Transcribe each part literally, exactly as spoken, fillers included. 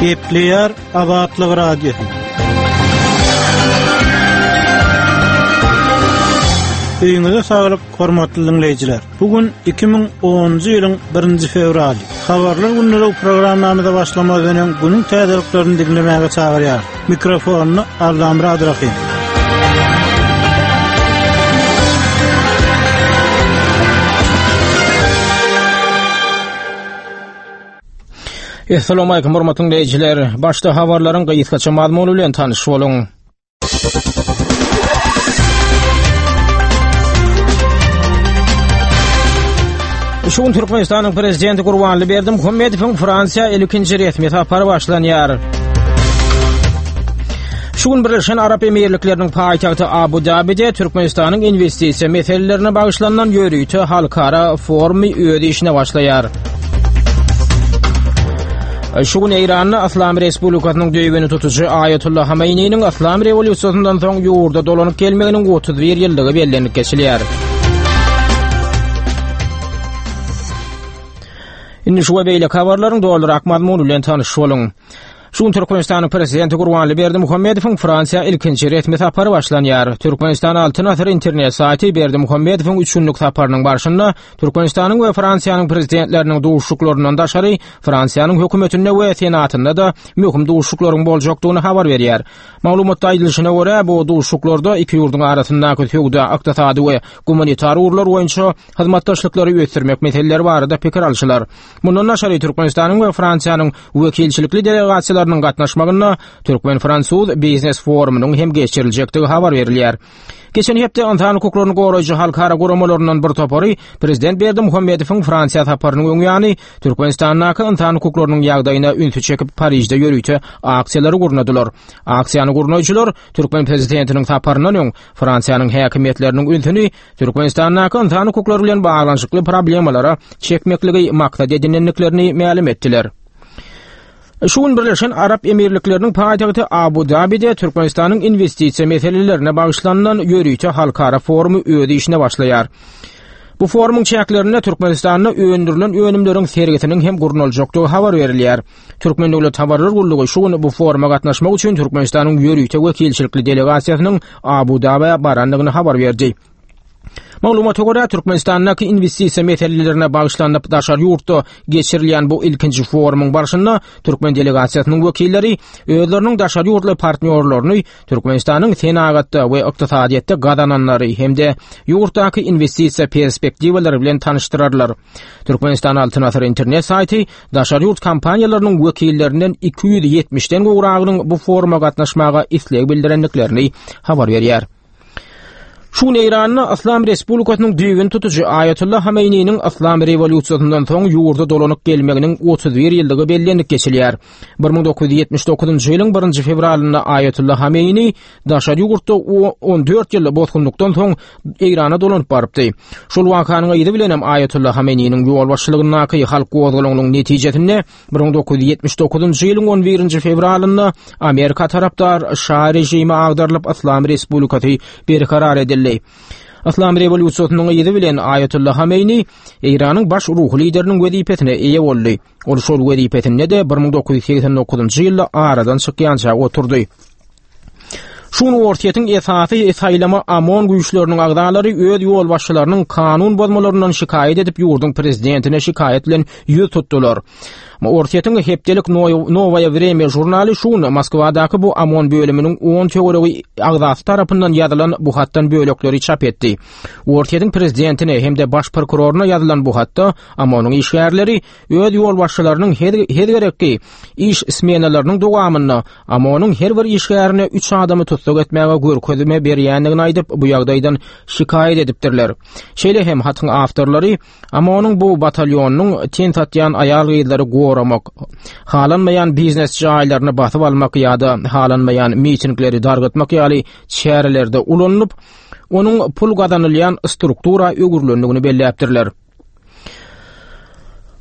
Gepleýär Azatlyk Radiosy. Öýüňize saglyk, hormatly dinleýjiler. Bu gün iki müň onunjy ýylyň birinji fewraly. Habarlar günleri programmamyza başlamazdan öň günüň täzeliklerini dinlemäge çagyrýar. Mikrofonyny Allamyrat Rahim. Assalamu alaykum hormatly dinleýjiler. Başda habarlaryň gysgaça mazmuny bilen tanyş boluň. Şu gün Türkmenistanyň Prezidenti Gurbanguly Berdimuhamedowyň Fransiýa ilkinji resmi sapary başlanýar. Şu gün Birleşen Arap Emirlikleriniň paýtagty Abu Dabide Türkmenistanyň investisiýa meselelerine bagyşlanan ýörite halkara forumy öz işine başlaýar. Şu gün Eýranda Yslam Respublikasynyň düýbüni tutujy Aýatullah Hameýniniň Yslam rewolýusiýasyndan soň ýurda dolanyp gelmeginiň otuz bir ýyllygy bellenip geçilýär. Indi şu we beýleki habarlaryň dolurak mazmuny bilen tanyş boluň. Şu gün Türkmenistanyň Prezidenti Gurbanguly Berdimuhamedowyň Fransiýa ilkinji resmi sapary başlanýar. Türkmenistan Altyn Asyr internet saýty Berdimuhamedowyň üç günlük saparynyň barşynda Türkmenistanyň we Fransiýanyň prezidentleriniň duşuşyklaryndan daşary Fransiýanyň hökümetinde we senatynda-da möhüm duşuşyklaryň boljakdygyny habar berýär. Maglumatda aýdylyşyna görä, bu duşuşyklarda iki ýurduň arasyndaky söwda, ykdysady we gumanitar ugurlar boýunça hyzmatdaşlyklary ösdürmek meseleleri barada pikir alşylar. Mundan daşary Türkmenistanyň we Fransiýanyň wekilçilikli delegasiýalarynyň gatnaşmagynda Türkmen-fransuz biznes forumynyň hem geçiriljekdigi habar berilýär. Geçen hepde ynsan hukuklaryny goraýjy halkara guramalaryndan bir topary Prezident Berdimuhamedowyň Fransiýa saparynyň öň ýany Türkmenistandaky ynsan hukuklarynyň ýagdaýyna ünsi çekip Parižde ýörite aksiýalary gurnadylar. Aksiýany gurnaýjylar Türkmen prezidentiniň saparyndan öň Fransiýanyň häkimiýetleriniň ünsüni Türkmenistandaky ynsan hukuklary bilen baglanyşykly problemalara çekmekligi maksat edinendiklerini mälim etdiler. Şu gün Birleşen Arap Emirlikleriniň paýtagty Abu Dabide Türkmenistanyň investisiýa meselelerine bagyşlanylan ýörite halkara forumy öz işine başlaýar. Bu forumyň çäklerinde Türkmenistanda öndürilen önümleriň sergisiniň hem gurnaljakdygy habar berilýär. Türkmen Döwlet Habarlar Gullugy şu gün bu foruma gatnaşmak üçin Türkmenistanyň ýörite wekilçilikli delegasiýasynyň Abu Dabä barandygyny habar berdi. Maglumata görä, Türkmenistandaky investisiýa meselelerine bagyşlanyp daşary ýurtda geçirilýän bu ilkinji forumyň barşynda türkmen delegasiýasynyň wekilleri özleriniň daşary ýurtly partnýorlaryny Türkmenistanyň senagatda we ykdysadyýetde gazananlary hem-de ýurtdaky investisiýa perspektiwalary bilen tanyşdyrarlar. Türkmenistan Altyn Asyr internet saýty daşary ýurt kompaniýalarynyň wekillerinden iki ýüz ýetmişden gowragynyň bu foruma gatnaşmaga isleg bildirendiklerini habar berýär. Şu gün Eýranda Yslam Respublikasynyň düýbüni tutujy Aýatullah Hameýniniň Yslam rewolýusiýasyndan soň ýurda dolanyp gelmeginiň otuz bir ýyllygy bellenip geçilýär. Bir müň dokuz ýüz ýetmiş dokuzynjy ýylyň birinji fewralynda Aýatullah Hameýni daşary ýurtda on dört ýyl bosgunlykdan soň Eýrana dolanyp barypdy. Şol wakanyň yzy bilen hem Aýatullah Hameýniniň ýolbaşçylygyndaky halk gozgalaňynyň netijesinde bir müň dokuz ýüz ýetmiş dokuzynjy ýylyň on birinji fewralynda Amerika tarapdar Şa režimi agdarylyp Yslam Respublikasy berkarar edildi. Yslam rewolýusiýasynyň yzy bilen Aýatullah Hameýni Eýranyň baş ruhy lideriniň wezipesine eýe boldy. Ol şol wezipesinde-de bir müň dokuz ýüz segsen dokuzynjy ýylda aradan çykýança oturdy. Şu gün Orsýetiň esasy saýlama OMON güýçleriniň agzalary öz ýolbaşçylarynyň kanun bozmalaryndan şikaýat edip ýurduň prezidentine şikaýat bilen ýüz tutdular. Orsýetiň hepdelik Nowaýa Wremýa žurnaly şu gün Moskwadaky bu OMON bölüminiň on töweregi agzasy tarapyndan ýazylan bu hatdan bölekleri çap etdi. Orsýetiň prezidentine hem-de baş prokuroryna ýazylan bu hatda OMON-yň işgärleri öz ýolbaşçylarynyň her, her gerekki iş smenalarynyň dowamynda OMON-yň her bir işgärine üç adamy tussag etmäge görkezme berýändigini aýdyp, bu ýagdaýdan şikaýat edipdirler. Şeýle hem hatyň awtorlary OMON-yň bu batalýonynyň ten satýan aýal-gyzlary goramak, halanmaýan biznes jaýlaryny basyp almak ýa-da halanmaýan mitingleri dargatmak ýaly çärelerde ulanylyp, onuň pul gazanylýan struktura öwrülendigini belläpdirler.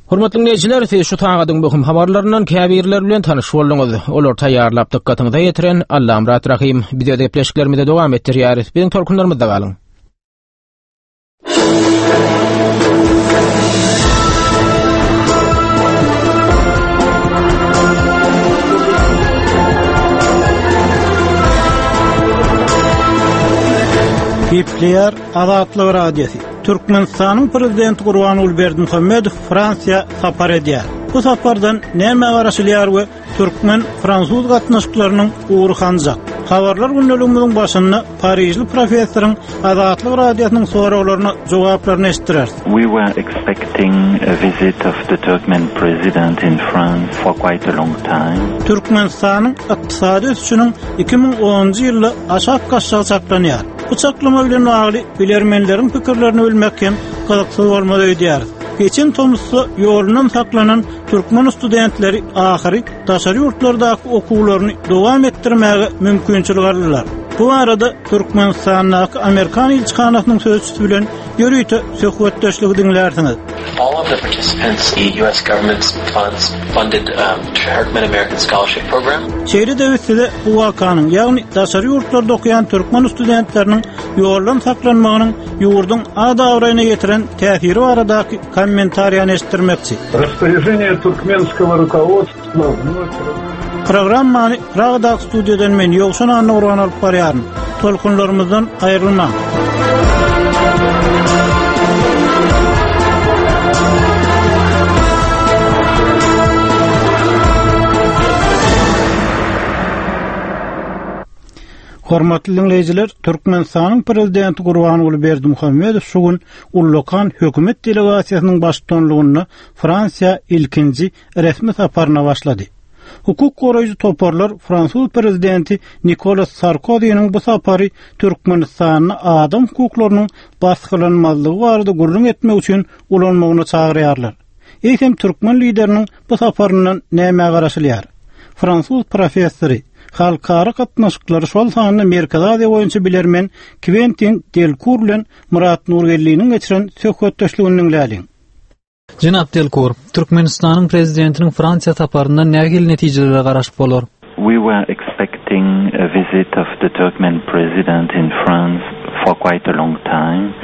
Hormatly dinleýjiler, siz şu sagadyň möhüm habarlaryndan käbirleri bilen tanyş bolduňyz. Olar taýýarlap dykgatyňyza ýetiren Allamyrat Rahym. Biz öz gepleşiklerimizi dowam etdirýäris. Biziň tolkunlarymyzda galyň. Gepleýär Azatlyk Radiosy. Türkmenistanyň Prezidenti Gurbanguly Berdimuhamedow Fransiýa sapar edýär. Bu sapardan näme garaşylýar we türkmen-fransuz gatnaşyklarynyň ugry hanjak? Habarlar gündeligimiziň başynda Parižli professoryň Azatlyk Radiosynyň soraglaryna jogaplaryny eşitdireris. We were expecting a visit of the Turkmen president in France for quite a long time. Türkmenistanyň ykdysady ösüşiniň iki müň onunjy ýylda aşak gaçjagy çaklanýar. Bu çaklama bilen bagly bilermenleriň pikirlerini bilmek hem gyzyksyz bolmaz öýdýäris. Geçen tomusda ýolundan saklanan türkmen studentleri ahyry daşary ýurtlardaky okuwlaryny dowam etdirmäge mümkinçilik aldylar. Bu arada Türkmenistandaky Amerikan ilçihanasynyň sözçüsi bilen ýörite söhbetdeşligi diňlärsiňiz. All of the participants, the U S government's funds funded, um, Turkmen American Scholarship Program. Şeýle de size bu wakanyň, ýagny daşary ýurtlarda okuýan türkmen studentleriniň ýoldan saklanmagynyň ýurduň ad-abraýyna ýetiren täsiri baradaky kommentariýany eşitdirmekçi. Распоряжение туркменского руководства вновь Programmany Pragadaky studiýadan men Ýowşan Annagurban alyp barýaryn. Tolkunlarymyzdan aýrylmaň. Hormatly dinleýjiler, Türkmenistanyň Prezidenti Gurbanguly Berdimuhamedow şu gün Ullakan hökümet delegasiýasynyň baştutanlygynda Fransiýa ilkinji resmi saparyna başlady. Hukuk goraýjy toparlar Fransuz prezidenti Nikolas Sarkozynyň bu sapary Türkmenistanda adam hukuklarynyň basgylanmazlygy barada gürrüň etmek üçin ulanmagyny çagyrýarlar. Eýsem türkmen lideriniň bu saparyndan näme garaşylýar? Fransuz professory, halkara gatnaşyklary şol sanda Merkezi Aziýa boýunça bilermen Quentin Delcour bilen Murat Nurgelliniň geçiren söhbetdeşligini diňläliň. Jenap Delcour, Türkmenistanyň prezidentiniň Fransiýa saparyndan nähili netijelere garaşyp bolar? We were expecting a visit of the Turkmen president in France for quite a long time.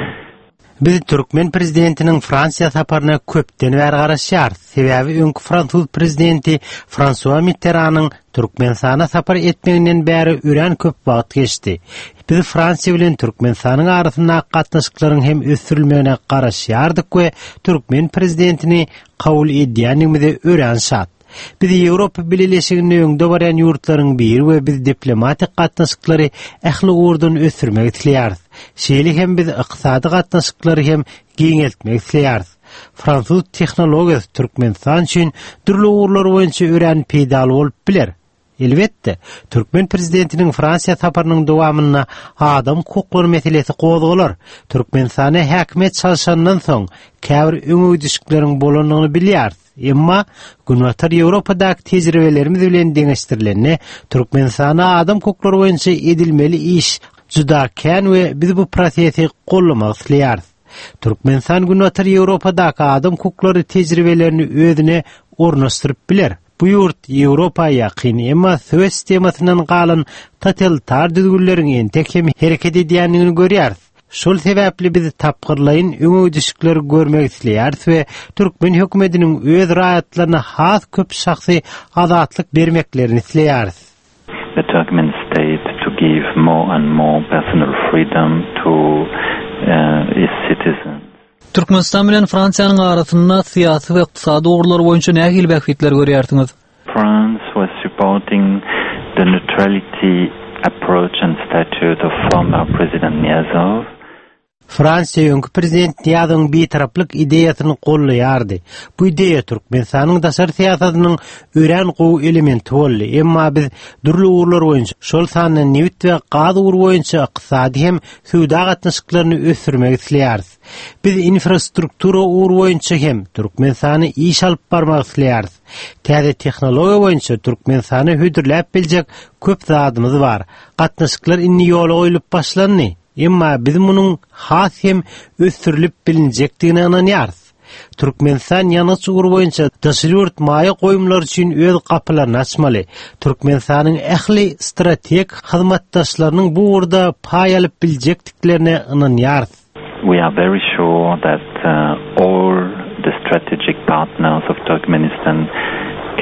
Biz türkmen prezidentiniň Fransiýa saparyna köpden bäri garaşýarys. Sebäbi öňki fransuz prezidenti François Mitterrand'yň Türkmenistana sapar etmeginden bäri örän köp wagt geçdi. Biz Fransiýa bilen Türkmenistanyň arasyndaky gatnaşyklaryň hem ösdürilmegine garaşýardyk we türkmen prezidentini kabul edýändigimize örän şat. Biz Ýewropa Bileleşiginde öňde barýan ýurtlaryň biri we biz diplomatik gatnaşyklary ähli ugurdan ösdürmek isleýäris. Şeýle hem biz ykdysady gatnaşyklary hem giňeltmek isleýäris. Fransuz tehnologiýasy Türkmenistan üçin dürli ugurlar boýunça örän peýdaly bolup biler. Elbetde, türkmen prezidentiniň Fransiýa saparynyň dowamynda adam hukuklary meselesi gozgalar. Türkmenistana häkimiýet çalşandan soň käbir öňegidişlikleriň bolandygyny bilýäris. Emma Günbatar Ýewropadaky tejribelerimiz bilen deňeşdirilende Türkmenistana adam hukuklary boýunça edilmeli iş juda kän we biz bu prosesi gollamak isleýäris. Türkmenistan Günbatar Ýewropadaky adam hukuklary tejribelerini özüne ornaşdyryp biler. Bu ýurt Ýewropa ýakyn, emma Sowet sistemasyndan galan totalitar düzgünleriň entek hem hereket edýändigini görýäris. Şol sebäpli biz tapgyrlaýyn öňegidişlikleri görmek isleýäris we türkmen hökümetiniň öz raýatlaryna has köp şahsy azatlyk bermeklerini isleýäris. The Turkmen state to give more and more personal freedom to, uh, its citizens. Türkmenistan bilen Fransiýanyň arasynda syýasy we ykdysady ugurlar boýunça nähili bähbitler görýärsiňiz? France was supporting the neutrality approach and statute of former President Niyazov. Fransiýa öňki prezident Niýazowyň bitaraplyk ideýasyny gollaýardy. Bu ideýa Türkmenistanyň daşary syýasatynyň örän gowy elementi boldy. Emma biz dürli ugurlar boýunça, şol sanda nebit we gaz ugry boýunça ykdysady hem söwda gatnaşyklaryny ösdürmek isleýäris. Biz infrastruktura ugry boýunça hem Türkmenistany iş alyp barmak isleýäris. Täze tehnologiýa boýunça Türkmenistany hödürläp biljek köp zadymyz bar. Gatnaşyklar indi ýola goýlup başlandy. Emma biz munuň has hem ösdürilip bilinjekdigine ynanýarys. Türkmenistan ýangyç ugry boýunça daşary ýurt maýa goýumlary üçin öz gapylaryny açmaly. Türkmenistanyň ähli strategik hyzmatdaşlarynyň bu ugurda paý alyp biljekdiklerine ynanýarys. We are very sure that, uh, all the strategic partners of Turkmenistan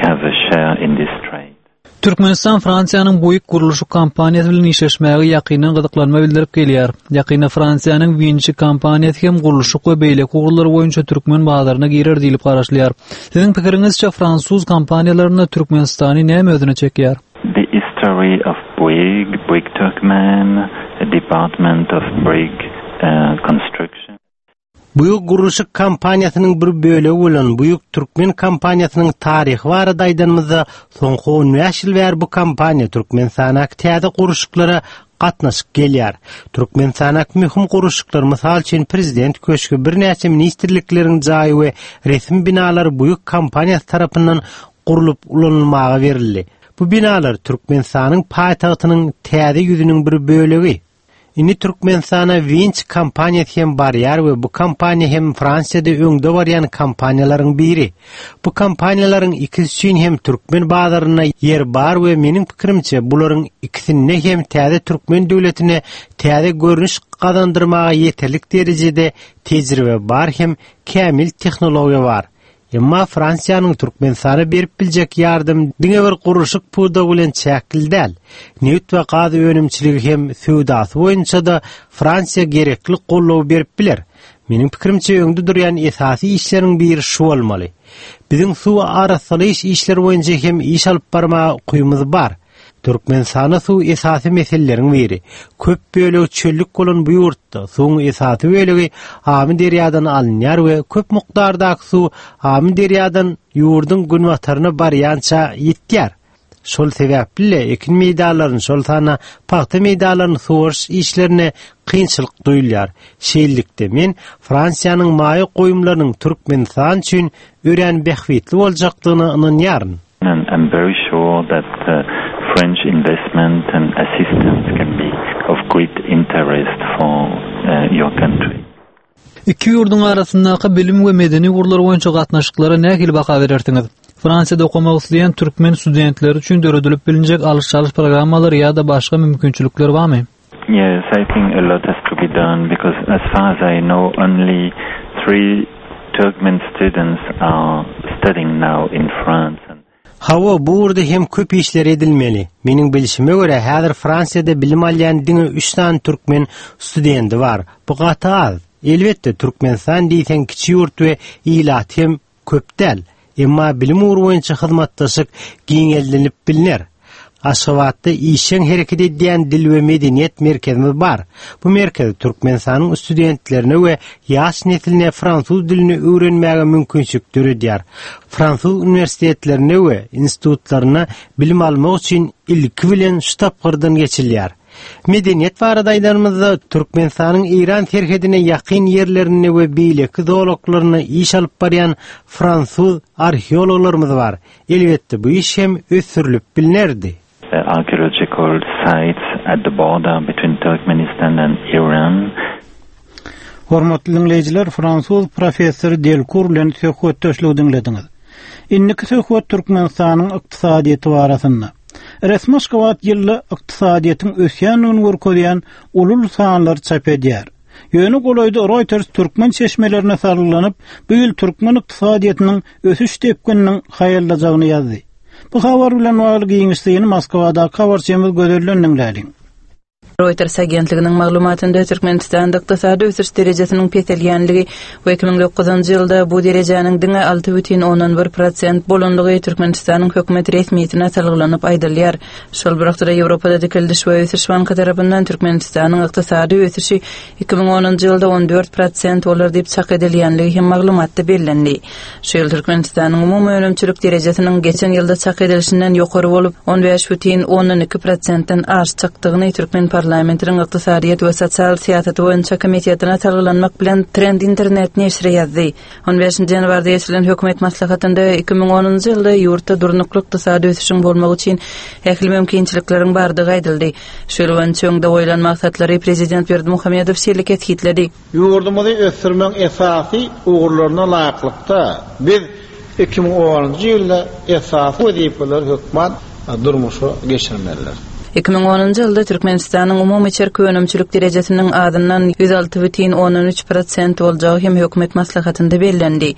have a share in this trade. Türkmenistan Fransiýanyň Bouygues gurluşyk kompaniýasy bilen işleşmäge ýakyndan gyzyklanma bildirip gelýär. Ýakynda Fransiýanyň Vinci kompaniýasy hem gurluşyk we beýleki ugurlar boýunça türkmen bazaryna girer diýlip garaşylýar. Siziň pikiriňizçe fransuz kompaniýalaryna Türkmenistany näme özüne çekýär? The history of Bouygues, Bouygues Turkmen, the Department of Bouygues uh, Construction. Bouygues gurluşyk kompaniýasynyň bir bölegi bolan Bouygues Türkmen kompaniýasynyň taryhy barada aýdanymyzda soňky on bäş ýyl bäri bu kompaniýa Türkmenistana täze gurluşyklara gatnaşyp gelýär. Türkmenistana möhüm gurluşyklar, mysal üçin prezident köşgi, birnäçe ministrlikleriň jaýy we resmi binalar Bouygues kompaniýasy tarapyndan gurlup ulanylmaga berildi. Bu binalar Türkmenistanyň paýtagtynyň täze ýüzüniň bir bölegi. Indi Türkmenistana Vinci kompaniýasy hem barýar we bu kompaniýa hem Fransiýada öňde barýan kompaniýalaryň biri. Bu kompaniýalaryň ikisi üçin hem türkmen bazarynda ýer bar we meniň pikirimçe bularyň ikisinde hem täze türkmen döwletine täze görnüş gazandyrmaga ýeterlik derejede tejribe bar hem kämil tehnologiýa bar. Emma Fransiýanyň Türkmenistana berip biljek ýardam diňe bir gurluşyk pudagy bilen çäkli däl. Neft we gaz önümçiligi hem söwdasy boýunça da Fransiýa gerekli goldaw berip biler. Meniň pikirimçe öňde durýan esasy işleriň biri şu bolmaly. Biziň suw arassalaýyş işleri boýunça hem iş alyp barmaga ukybymyz bar. Türkmenistanda suw esasy meseleleriň biri. Köp bölegi çöllük bolan bu ýurtda suwuň esasy bölegi Amy derýadan alynýar we köp mukdardaky suw Amy derýadan ýurduň günbataryna barýança ýetýär. Şol sebäpli ekin meýdanlaryny, şol sanda pagta meýdanlaryny suwaryş işlerine kynçylyk duýulýar. Şeýlelikde men Fransiýanyň maýa goýumlarynyň Türkmenistan üçin örän bähbitli boljakdygyna ynanýaryn. And I'm very sure that uh, French investment and assistance can be of great interest for uh, your country. Iki ýurduň arasyndaky bilim we medeni ugurlar boýunça gatnaşyklara nähili baha berersiňiz? Fransiýada okamak isleýän türkmen studentleri üçin döredilip bilinjek alyş-çalyş programmalary ýa-da başga mümkinçilikler barmy? Yes, I think a lot has to be done because as far as I know only three Turkmen students are studying now in France. Hawa, bu ugurda hem köp işler edilmeli. Meniň bilişime görä häzir Fransiýada bilim alýan diňe üç sany türkmen studenti bar. Bu gaty az. Elbetde Türkmenistan diýseň kiçi ýurt we ilat hem köp däl. Emma bilim ugry boýunça hyzmatdaşlyk giňeldilip bilner. Aşgabatda işjeň hereket edýän dil we medeniýet merkezimiz bar. Bu merkez Türkmenistanyň studentlerine we ýaş nesline fransuz dilini öwrenmäge mümkinçilik döredýär. Fransuz uniwersitetlerine we institutlaryna bilim almak üçin ilki bilen şu tapgyrdan geçilýär. Medeniýet barada aýdanymyzda Türkmenistanyň Eýran serhedine ýakyn ýerlerinde we beýleki zolaklarynda iş alyp barýan fransuz arheologlarymyz bar. Elbetde bu iş hem ösdürilip bilnerdi. Archaeological sites at the border between Turkmenistan and Iran. Hormatly dinleýjiler, fransuz professory Delkur bilen söhbetdeşlik diňlediňiz. Indiki söhbet Türkmenistanyň ykdysadyýeti barasynda. Resmi Aşgabat ýylda ykdysadyýetiň ösýändigini görkezýän ulul sanlar çap edýär. Ýöne golaýda Reuters türkmen çeşmelerine salgylanyp, bu ýyl türkmen ykdysadyýetiniň ösüş depgininiň haýallajagyny ýazdy. Bu habar bilen bagly giňişligini Moskwadaky habarçymyz Gözelden diňläliň. Reuters agentliginiň maglumatynda Türkmenistanda ykdysady ösüş derejesiniň peselýänligi we iki müň dokuzynjy ýylda bu derejäniň diňe alty bütin ondan bir prosent bolanlygy Türkmenistanyň hökümet resmiýetine salgylanyp aýdylýar. Şol bir wagtda Ýewropada dikildiş we ösüş banky tarapyndan Türkmenistanyň ykdysady ösüşi iki müň onunjy ýylda on dört prosent bolar diýip çak edilýänligi hem maglumatda bellendi. Şu ýyl Türkmenistanyň umumy önümçilik derejesiniň geçen ýylda çak edilişinden ýokary bolup on bäş bütin ondan iki prosentden aşjakdygyny Türkmen parlamentiniň ykdysadyýet we sosial syýasaty boýunça komitetine salgylanmak bilen Trend internet neşiri ýazdy. on beşinji ýanwarda geçirilen hökümet maslahatynda iki müň onunjy ýylda ýurtda durnukly ykdysady ösüşiň bolmagy üçin ähli mümkinçilikleriň bardygy aýdyldy. Şu ýyl boýunça öňde goýlan maksatlary prezident Berdimuhamedow şeýle kesgitledi. Ýurdumyzy ösdürmegiň esasy ugurlaryna laýyklykda biz iki müň onunjy ýylda esasy wezipeleri hökman durmuşa geçirmelidir. Iki müň onunjy ýylda Türkmenistanyň umumy içerki önümçilik derejesiniň azyndan ýüz alty bütin ondan üç prosent boljagy hem hökümet maslahatynda bellendi.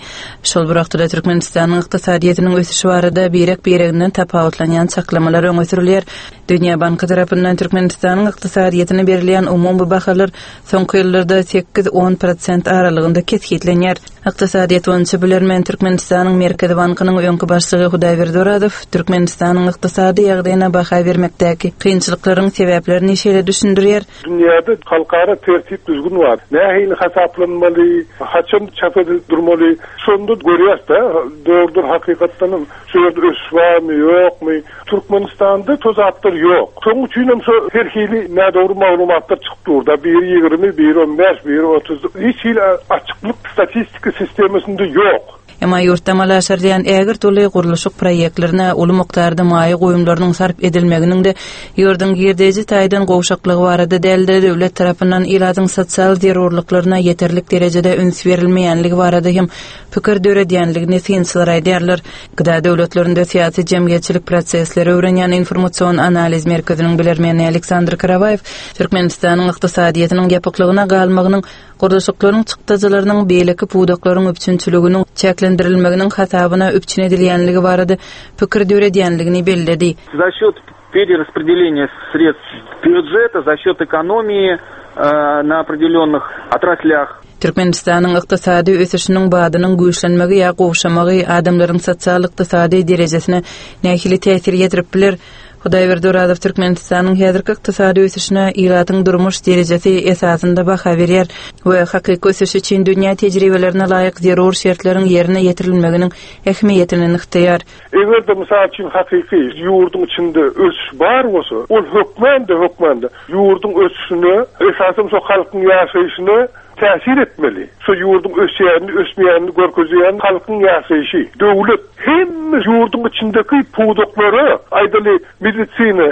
Şol bir wagtda Türkmenistanyň ykdysadyýetiniň ösüşi barada birek-bireginden tapawutlanýan çaklamalar öňe sürülýär. Dünýä Banky tarapyndan Türkmenistanyň ykdysadyýetine berilýän umumy bahalar soňky ýyllarda sekiz-on prosent aralygynda kesgitlenýär. Ykdysadyýet boýunça bilermen Türkmenistanyň Merkezi Bankynyň öňki başlygy Hudaýberdi Orazow Türkmenistanyň ykdysady ýagdaýyna baha bermekdäki kynçylyklaryň sebäplerini şeýle düşündirýär. Dünýäde halkara tertip düzgün bar. Nähili hasaplanmaly, haçan çap edilip durmaly, şonda görýäs-de, dogrudur hakykatdan şu ýerde ösüş barmy, ýokmy? Türkmenistanda tozaplar ýok. Şonuň üçin hem şu her hili nädogry maglumatlar çykyp dur da, biri ýigrimi, biri on bäş, biri otuz. Hiç hili açyklyk statistika sistemasynda ýok. Emma ýurtda amala aşyrylýan ägirt uly gurluşyk proýektlerine uly mukdarda maýa goýumlarynyň sarp edilmeginiň-de ýurduň girdeji taýdan gowşaklygy barada däl-de, döwlet tarapyndan ilatyň sosial zerurlyklaryna ýeterlik derejede üns berilmeýänligi barada hem pikir döredýänligini synçylar aýdýarlar. Gıda döwletlerinde syýasy jemgyýetçilik prosesleri öwrenýän informasion analiz merkeziniň bilermeni Aleksandr Karawaýew Türkmenistanyň ykdysadyýetiniň ýapyklygyna galmagynyň gurluşyklaryň çykdajylarynyň beýleki pudaklaryň üpjünçiliginiň çäklendirilmeginiň hasabyna üpjün edilýänligi barada pikir döredýänligini belledi. За счет перераспределения средств бюджета, за счет экономии, э, на определенных отраслях. Türkmenistanyň ykdysady ösüşiniň badynyň güýçlenmegi ýa gowşamagy adamlaryň sosial ykdysady derejesine nähili täsir ýetirip biler? Hudaýberdi Orazow Türkmenistanyň häzirki ykdysady ösüşine ilatyň durmuş derejesi esasynda baha berýär we hakyky ösüş üçin dünýä tejribelerine laýyk zerur şertleriň ýerine ýetirilmeginiň ähmiýetini nygtaýar. Eger-de mysal üçin hakyky ýurduň içinde ösüş bar bolsa, ol hökmände hökmände ýurduň ösüşine, esasan şo halkyň ýaşaýşyna täsir etmeli. Şu ýurduň ösýänini, ösmeýänini görkezýän halkyň ýaşaýşy. Döwlet hemme ýurduň içindäki pudaklara, aýdaly medisina,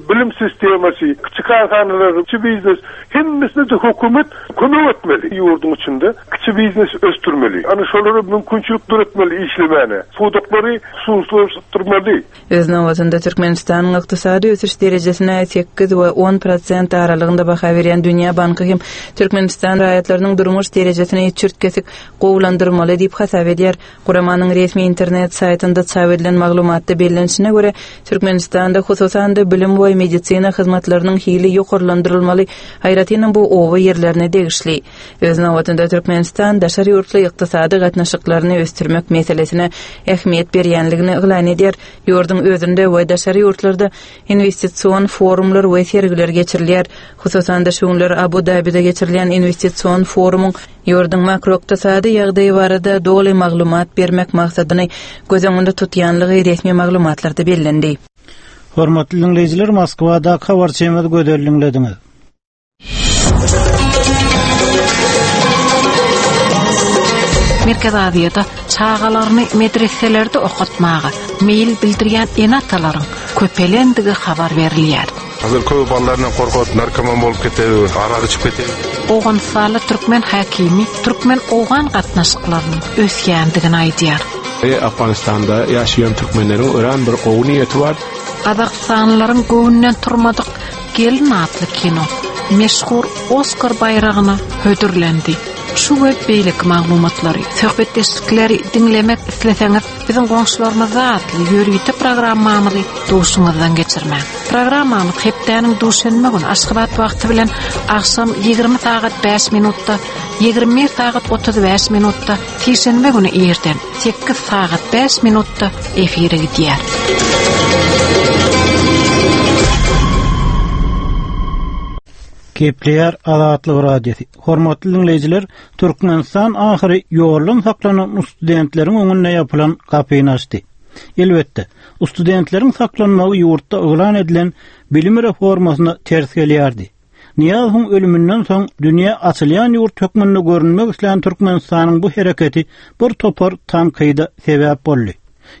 bilim sistemasy, kiçi kärhanalar, kiçi biznes, hemmesine de hökümet kömek etmeli. Ýurduň içinde kiçi biznes ösdürmeli. Ana şolara mümkinçilik döretmeli işlemäne. Pudaklary hususlaşdyrmaly. Öz nobatynda Türkmenistanyň ykdysady ösüş derejesine sekiz we on prosent aralygynda baha berýän Dünýä Banky hem Türkmenistan raýatlarynyň durmuş derejesini çürt-kesik gowulandyrmaly diýip hasap edýär. Guramanyň resmi internet saýtynda çap edilen maglumatda bellenişine görä, Türkmenistanda hususan-da bilim we medisina hyzmatlarynyň hili ýokarlandyrylmaly, aýratynam bu oba ýerlerine degişli. Öz nobatynda Türkmenistan daşary ýurtly ykdysady gatnaşyklaryny ösdürmek meselesine ähmiýet berýänligini yglan edýär. Ýurduň özünde we daşary ýurtlarda investision forumlar we sergiler geçirilýär. Hususan-da şu günler Abu Dabide geçirilýän investision forumyň ýurduň makroykdysady ýagdaýy barada doly maglumat bermek maksadyny göz öňünde tutýanlygy resmi maglumatlarda bellendi. Hormatly dinleýjiler, Moskwada habarçymyz Gözel diňlediňiz. Merkez Aziýada çagalaryny medreselerde okatmaga meýil bildirýän ene-atalaryň köpelendigi habar berilýär. Hazır köp ballaryndan korkut, narkoman bolup ketdi, arak içip ketdi. Owganystanly türkmen hakimi türkmen-owgan gatnaşyklarynyň ösýändigini aýdýar. E, Afganistanda ýaşaýan türkmenleriň örän bir gowy niýeti bar. Gazagystanlylaryň göwnünden turmadyk Gelin atly kino meşhur Oskar baýragyna hödürlendi. Şu we beýleki maglumatlary, söhbetdeşlikleri diňlemek isleseňiz, biziň goňşularymyzda atly ýörite programmamyzy duşuňyzdan geçirmäň. Programmamyz hepdäniň duşenbe güni Aşgabat wagty bilen agşam ýigrimi sagat bäş minutda, ýigrimi bir sagat otuz bäş minutda, sişenbe güni irden sekiz sagat bäş minutda efire gidýär. Kepler Azatlyk Radiosy. Hormatly dinleýjiler, Türkmenistan ahyry ýoldan saklanan studentleriň öňünde ýapylan gapyny açdy. Elbetde, studentleriň saklanmagy ýurtda yglan edilen bilim reformasyna ters gelýärdi. Niýazowyň ölüminden soň dünýä açylýan ýurt hökmünde görünmek islän Türkmenistanyň bu hereketi bir topar tankyda sebäp boldy.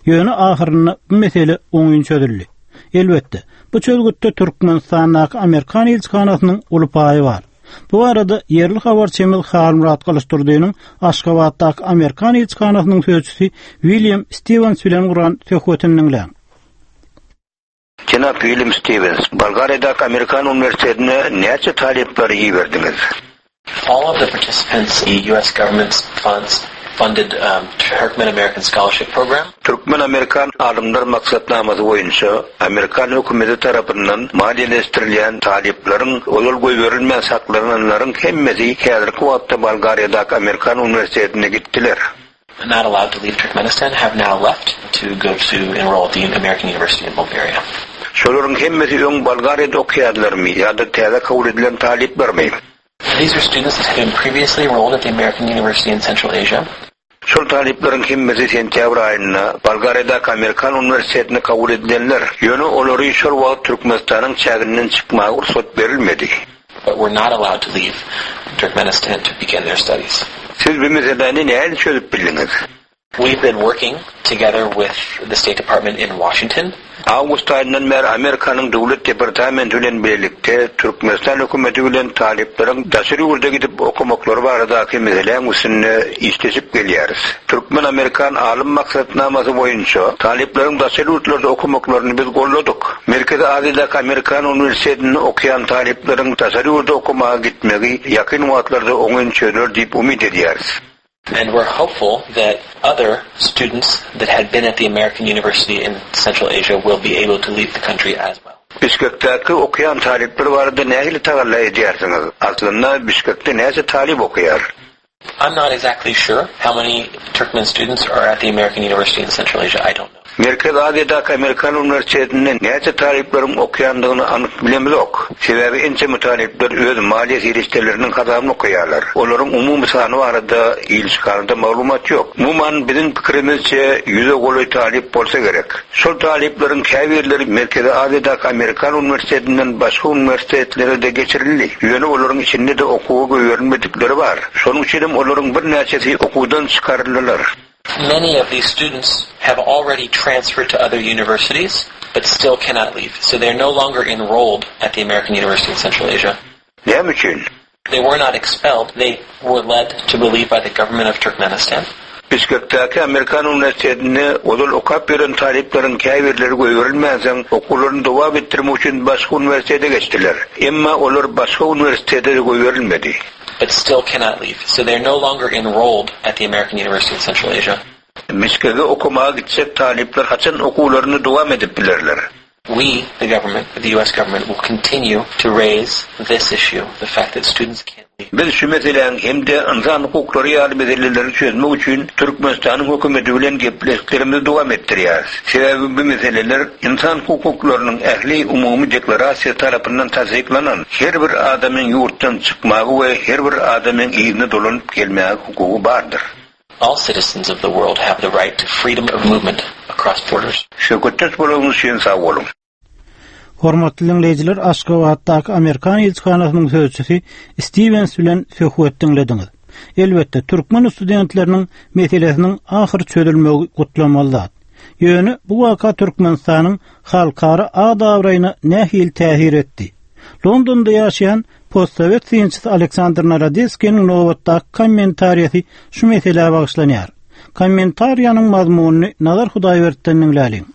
Ýöne ahyrynda bu mesele oňyn çözüldi. Elbetde, bu çözgütde Türkmenistandaky Amerikan ilçihanasynyň uly paýy bar. Bu arada ýerli habarçymyz Halmyrat Gylyçdurdynyň Aşgabatdaky Amerikan ilçihanasynyň sözçüsi William Stevens bilen guran söhbetini diňläň. Jenap William Stevens, Bolgariýadaky Amerikan uniwersitetine näçe talyplary iberdiňiz? All of the participants, the U S government's funds funded um, Turkmen American Scholarship Program. Türkmen-Amerikan alymlar maksatnamasy boýunça Amerikan hökümeti tarapyndan maliýeleşdirilýän talyplaryň ozal goýberilmän saklananlaryň hemmesi häzirki wagtda Bolgariýadaky Amerikan uniwersitetine gitdiler. Not allowed to leave Turkmenistan have now left to go to enroll at the American University in Bulgaria. Şolaryň hemmesi öň Bolgariýada okaýarlarmy ýa-da täze kabul edilen talyplarmy? These are students that have been previously enrolled at the American University in Central Asia. Şol talyplaryň hemmesi sentýabr aýynda Bolgariýadaky Amerikan uniwersitetine kabul edilenler. Ýöne olary şol wagt Türkmenistanyň çäginden çykmaga rugsat berilmedi. But were not allowed to leave Turkmenistan to begin their studies. Siz bu meseläni nähili çözüp bildiňiz? We've been working together with the State Department in Washington. Awgust aýyndan bäri Amerikanyň Döwlet departamenti bilen birlikde Türkmenistan hökümeti bilen talyplaryň daşary ýurda gidip okamaklary baradaky meseläň üstünde işleşip gelýäris. Türkmen-Amerikan alym maksatnamasy boýunça talyplaryň daşary ýurtlarda okamaklaryny biz golladyk. Merkezi Aziýadaky Amerikan uniwersitetinde okaýan talyplaryň daşary ýurda okamaga gitmegi ýakyn wagtlarda oňyn çözüler diýip umyt edýäris. And we're hopeful that other students that had been at the American University in Central Asia will be able to leave the country as well. Bişkekdäki okaýan talyplar barada nähili tagalla edýärsiňiz? Aslynda Bişkekde näçe talyp okaýar? I'm not exactly sure how many Turkmen students are at the American University in Central Asia. I don't know. Merkezi Aziýadaky Amerikan uniwersitetinde näçe talyplaryň okaýandygyny anyk bilemzok. Sebäbi ençeme talyplar öz maliýe serişdeleriniň hasabyna okaýarlar. Olaryň umumy sany barada ilçihanada maglumat ýok. Umuman biziň pikirimizçe ýüze golaý talyp bolsa gerek. Şol talyplaryň käbirleri Merkezi Aziýadaky Amerikan uniwersitetinden başga uniwersitetlere-de geçirildi. Ýöne olaryň içinde-de okuwa goýberilmedikleri bar. Şonuň üçin hem olaryň birnäçesi okuwdan çykaryldylar. Many of these students have already transferred to other universities, but still cannot leave. So they're no longer enrolled at the American University in Central Asia. Näme üçin? They were not expelled. They were led to believe by the government of Turkmenistan. Bişkekdäki Amerikan uniwersitetinde ozal okap ýören talyplaryň käbirleri goýberilmänsoň okuwlaryny dowam etdirmek üçin başga uniwersitete geçdiler. Emma olar başga uniwersitete goýberilmedi. But still cannot leave. So they're no longer enrolled at the American University in Central Asia. Bişkege okamaga gitjek talyplar haçan okuwlaryny dowam edip bilerler? We, the government, the U S government, will continue to raise this issue, the fact that students can't leave. Biz şu meseläň hem-de ynsan hukuklary ýaly meseleleri çözmek üçin Türkmenistanyň hökümeti bilen gepleşiklerimizi dowam etdirýäris. Sebäbi bu meseleler ynsan hukuklarynyň ähli umumy deklarasiýasy tarapyndan tassyklanan. Her bir adamyň ýurtdan çykmaga we her bir adamyň yzyna dolanyp gelmäge hukugy bardyr. All citizens of the world have the right to freedom of movement across borders. Söhbetdeş bolanyňyz üçin sag boluň. Hormatly diňleýjiler, Aşgabatdaky Amerikan ilçihanasynyň sözçüsi Stevens bilen söhbet diňlediňiz. Elbetde, türkmen studentleriniň meselesiniň ahyr çözülmegi gutlamaly zat. Ýöne bu waka Türkmenistanyň halkara at-abraýyna nähili täsir etdi? Londonda ýaşaýan postsowet synçysy Aleksandr Narodetskiniň nobatdaky kommentariýasy şu meselä bagyşlanýar. Kommentariýanyň mazmunyny Nazar Hudaýberdi'den diňläliň.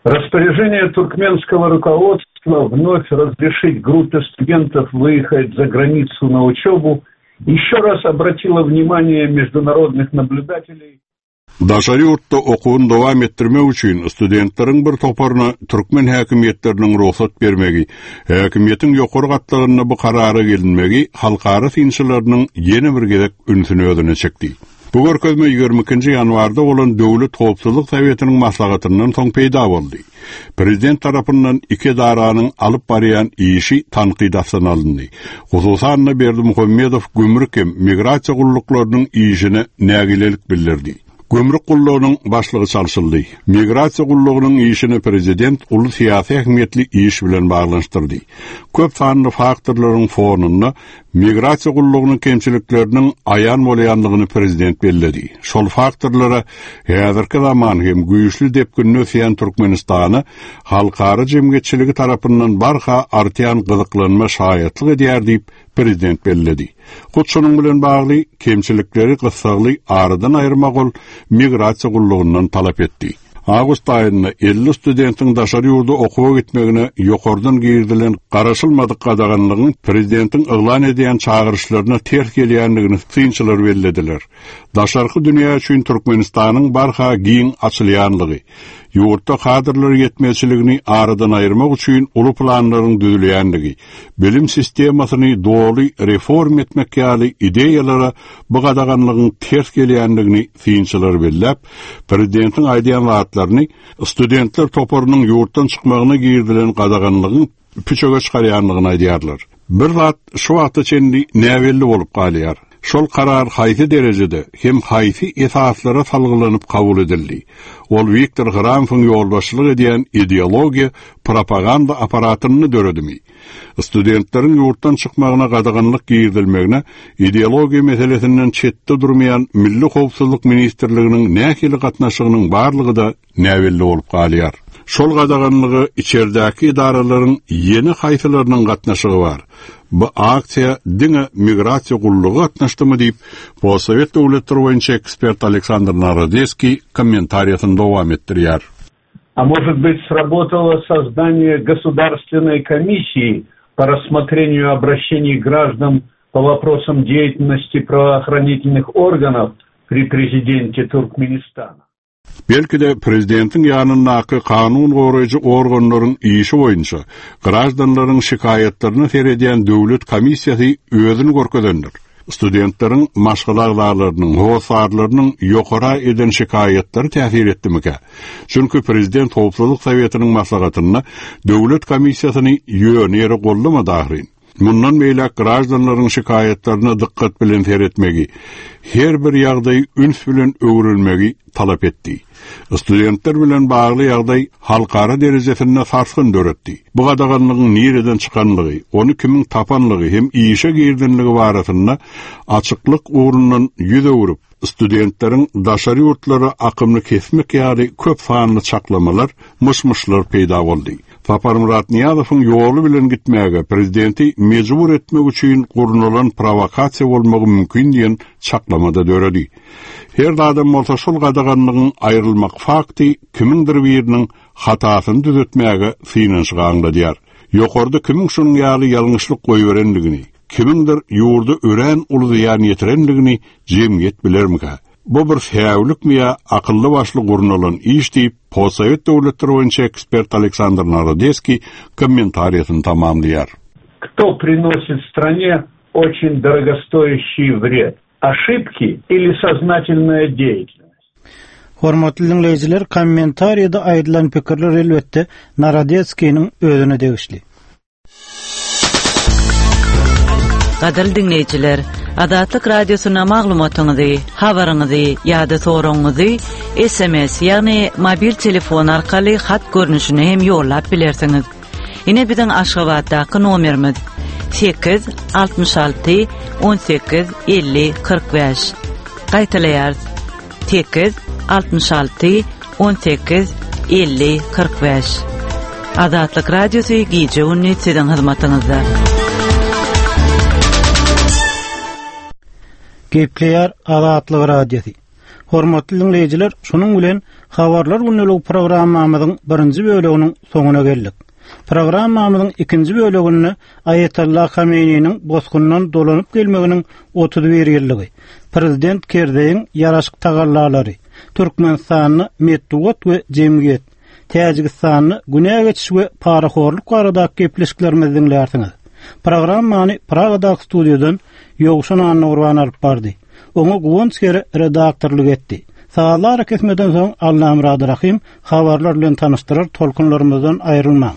Распоряжение туркменского руководства вновь разрешить группе студентов выехать за границу на учебу еще раз обратило внимание международных наблюдателей Daşary ýurtda okuwyny dowam etdirmek üçin studentleriň bir toparyna türkmen häkimiýetleriniň rugsat bermegi, häkimiýetiň ýokary gatlagynda bu karara gelinmegi halkara synçylarynyň ýene bir gezek ünsüni özüne çekdi. Bu görkezme ýigrimi ikinji ýanwarda bolan Döwlet Howpsuzlyk Sowetiniň maslahatyndan soň peýda boldy. Prezident tarapyndan iki edaranyň alyp barýan işi tankyt astyna alyndy. Hususan Berdimuhamedow gümrük hem migrasiýa gulluklarynyň işine nägilelik bildirdi. Gümrük gullugynyň başlygy çalşyldy. Migrasiýa gullugynyň işini prezident uly syýasy ähmiýetli iş bilen baglanyşdyrdy. Köp sanly faktorlaryň fonunda migrasiýa gullugynyň kemçilikleriniň aýan bolýanlygyny prezident belledi. Şol faktorlara häzirki zaman hem güýçli depginli ösýän Türkmenistany halkara jemgyýetçiligi tarapyndan barha artýan gyzyklanma şaýatlyk edýär diýip prezident belledi. Hut şonuň bilen bagly kemçilikleri gyssagly aradan aýyrmak ol migrasiýa gullugyndan talap etdi. Awgust aýynda elli studentiň daşary ýurda okuwa gitmegine ýokardan girizilen garaşylmadyk gadaganlygyň prezidentiň yglan edýän çagyryşlaryna ters gelýändigini synçylar bellediler. Daşarky dünýä üçin Türkmenistanyň barha giň açylýanlygy, ýurtda kadrlar ýetmezçiligini aradan aýyrmak üçin uly planlaryň düzülýänligi, bilim sistemasyny doly reform etmek ýaly ideýalara bu gadaganlygyň ters gelýändigini synçylar belläp, prezidentiň aýdýan zatlaryny studentler toparynyň ýurtdan çykmagyna girizilen gadaganlygyň püçege çykarýanlygyny aýdýarlar. Bir zat şu wagta çenli näbelli bolup galýar. Şol karar haýsy derejede hem haýsy esaslara salgylanyp kabul edildi. Ol Wiktor Hramowyň ýolbaşçylyk edýän ideologiýa propaganda aparatyny döredimi? Studentleriň ýurtdan çykmagyna gadaganlyk girizilmegine ideologiýa meselesinden çetde durmaýan Milli Howpsuzlyk Ministrliginiň nähili gatnaşygynyň barlygy-da näbelli bolup galýar. Şol gadaganlygy içerdäki edaralaryň ýene haýsylarynyň gatnaşygy bar. Bu aksiýa diňe migrasiýa gullugy gatnaşdymy diýip, Postsowet döwletleri boýunça ekspert Aleksandr Narodeskiý kommentariýasyny dowam etdirýär. А может быть, сработало создание государственной комиссии по рассмотрению обращений граждан по вопросам деятельности правоохранительных органов при президенте Туркменистана. Belki de prezidentiň ýanyndaky kanun goraýjy organlaryň işi boýunça grajdanlaryň şikaýatlaryny seredýän döwlet komissiýasy özüni görkezendir. Studentleriň maşgala agzalarynyň, hossarlarynyň ýokara eden şikaýatlary täsir etdimikä? Çünki prezident Howpsuzlyk Sowetiniň maslahatynda döwlet komissiýasyny ýöne ýere gollamady ahyryn. Mundan beýläk grajdanlaryň şikaýatlaryna dykgat bilen seretmegi, her bir ýagdaýy üns bilen öwrenmegi talap etdi. Studentler bilen bagly ýagdaý halkara derejesinde sarsgyn döretdi. Bu gadaganlygyň nireden çykanlygy, ony kimiň tapanlygy hem işe girdenligi barasynda açyklyk ugrundan ýüz öwrüp, studentleriň daşary ýurtlara akymly kesmek ýaly köp sanly çaklamalar, myş-myşlar peýda boldy. Saparmyrat Nyýazowyň ýoly bilen gitmäge prezidenti mejbur etmek üçin gurnalan provokasiýa bolmagy mümkin diýen çaklamada döredi. Her adam bolsa şol gadaganlygyň aýrylmak fakty kimindir biriniň hatasyny düzetmäge synanyşyk aňladýar. Ýokarda kimiň şunuň ýaly ýalňyşlyk goýberenligini, kimindir ýurda örän uly zyýan ýetirenligini jemgyýet bilermikä? Bu bir säwlikmi ýa akylly başly gurnalan iş diýip, Postsowet döwletleri boýunça ekspert Aleksandr Narodeskiý kommentariýasyny tamamlaýar. Кто приносит стране очень дорогостоящий вред? Ошибки или сознательная деятельность? Hormatly dinleýjiler, kommentariýada aýdylan pikirler elbetde Narodetskiniň özüne degişli. Gadyrly dinleýjiler, Azatlyk Radiosyna maglumatyňyzy, habaryňyzy ýa-da soragyňyzy S M S, ýagny mobil telefon arkaly hat görnüşine hem ýollap bilersiňiz. Ine biziň Aşgabatdaky nomerimiz sekiz altmyş alty on sekiz elli kyrk bäş. Gaýtalaýarys. Sekiz altmyş alty on sekiz elli kyrk bäş. Azatlyk Radiosy gije gündüz siziň hyzmatyňyzda. Gepleýär Azatlyk Radiosy. Hormatly dinleýjiler, şunuň bilen Habarlar günlük programmamyzyň birinji bölüminiň soňuna geldik. Programmamyzyň ikinji bölüminde Aýatollah Khomeyniniň bosgundan dolanyp gelmeginiň otuz bir ýyllygy, Prezident Kerzeýiň ýaraşyk tagallalary, Türkmenistanda metbugat we jemgyýet, Täjigistanda günä geçiş we parahorluk baradaky gepleşiklerimizi diňlärsiňiz. Programmany Pragadaky studiýadan Ýowşan Annagurban alyp bardy. Oňa Guwanç Kere redaktorlyk etdi. Sazlar kesmeden soň Allamurad Rahim habarlar bilen tanyşdyrar, tolkunlarymyzdan aýrylmaň.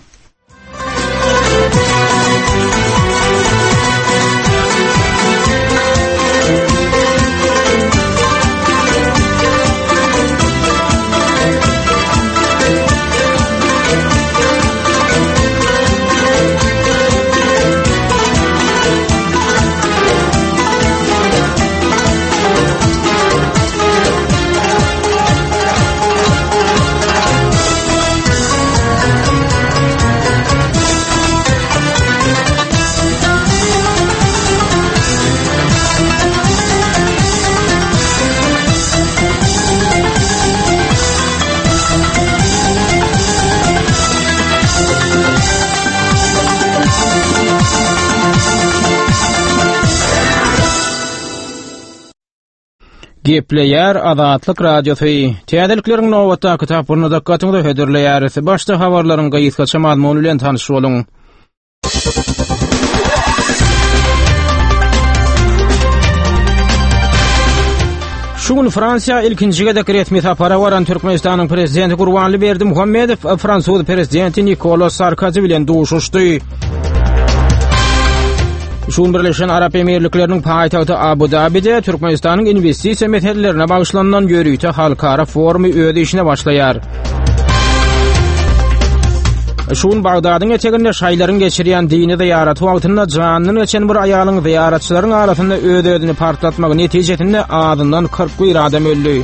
Gepleýär Azatlyk Radiosy. Täzelikleriň nobatdaky tapgyryny dykgatyňyza hödürleýäris. Başda habarlaryň gysgaça mazmuny bilen tanyş boluň. Şu gün Fransiýa ilkinji gezek resmi sapara baran Türkmenistanyň prezidenti Gurbanly Berdimuhamedow fransuz prezidenti Nikola Sarkozy bilen duşuşdy. Şu gün Birleşen Arap Emirlikleriniň paýtagty Abu Dabide Türkmenistanyň inwestisiýa meselelerine bagyşlanylan ýörite halkara forumy öz işine başlaýar. Şu gün Bagdadyň eteginde şaýlaryň geçirýän dini zyýaraty wagtynda janyndan geçen bir aýalyň zyýaratçylaryň arasynda öz-özüni partlatmagy netijesinde azyndan kyrk bir adam öldi.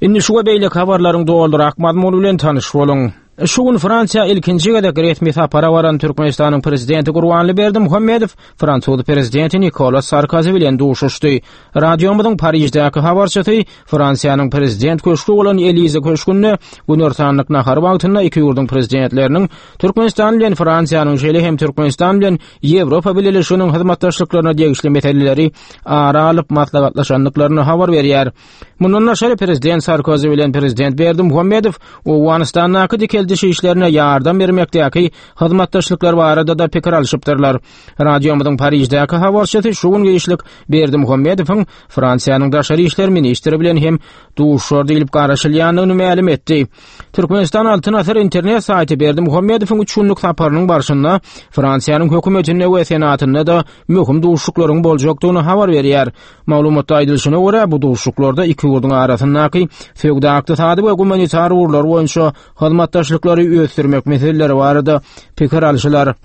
Indi şu we beýleki habarlaryň dolurak mazmuny bilen tanyş boluň. Şu gün Fransiýa ilkinji gezek resmi sapara baran Türkmenistanyň prezidenti Gurbanly Berdimuhamedow fransuz prezidenti Nikola Sarkozy bilen duşuşdy. Radiomyzyň Pariždäki habarçysy Fransiýanyň prezident köşgi bolan Elize köşgünde günortanlyk nahary wagtynda iki ýurduň prezidentleriniň Türkmenistan bilen Fransiýanyň, şeýle hem Türkmenistan bilen Ýewropa Bileleşiginiň hyzmatdaşlyklaryna degişli meseleleri ara alyp maslahatlaşandyklaryny habar berýär. Mundan daşary prezident Sarkozy bilen prezident Berdimuhamedow Owganystandaky dikeldiş işlerine ýardam bermekdäki hyzmatdaşlyklar barada-da pikir alşypdyrlar. Radiomyzyň Pariždäki habarçysy şu gün giçlik Berdimuhamedowyň Fransiýanyň daşary işler ministri bilen hem duşuşar diýlip garaşylýandygyny mälim etdi. Türkmenistan Altyn Asyr internet saýty Berdimuhamedowyň üç günlük saparynyň barşynda Fransiýanyň hökümetinde we senatynda-da möhüm duşuşyklaryň boljakdygyny habar berýär. Maglumatda aýdylyşyna görä, bu duşuşyklarda iki ýurduň arasyndaky söwda-ykdysady we gumanitar ugurlar boýunça hyzmatdaşlyklary ösdürmek meseleleri barada pikir alşylar.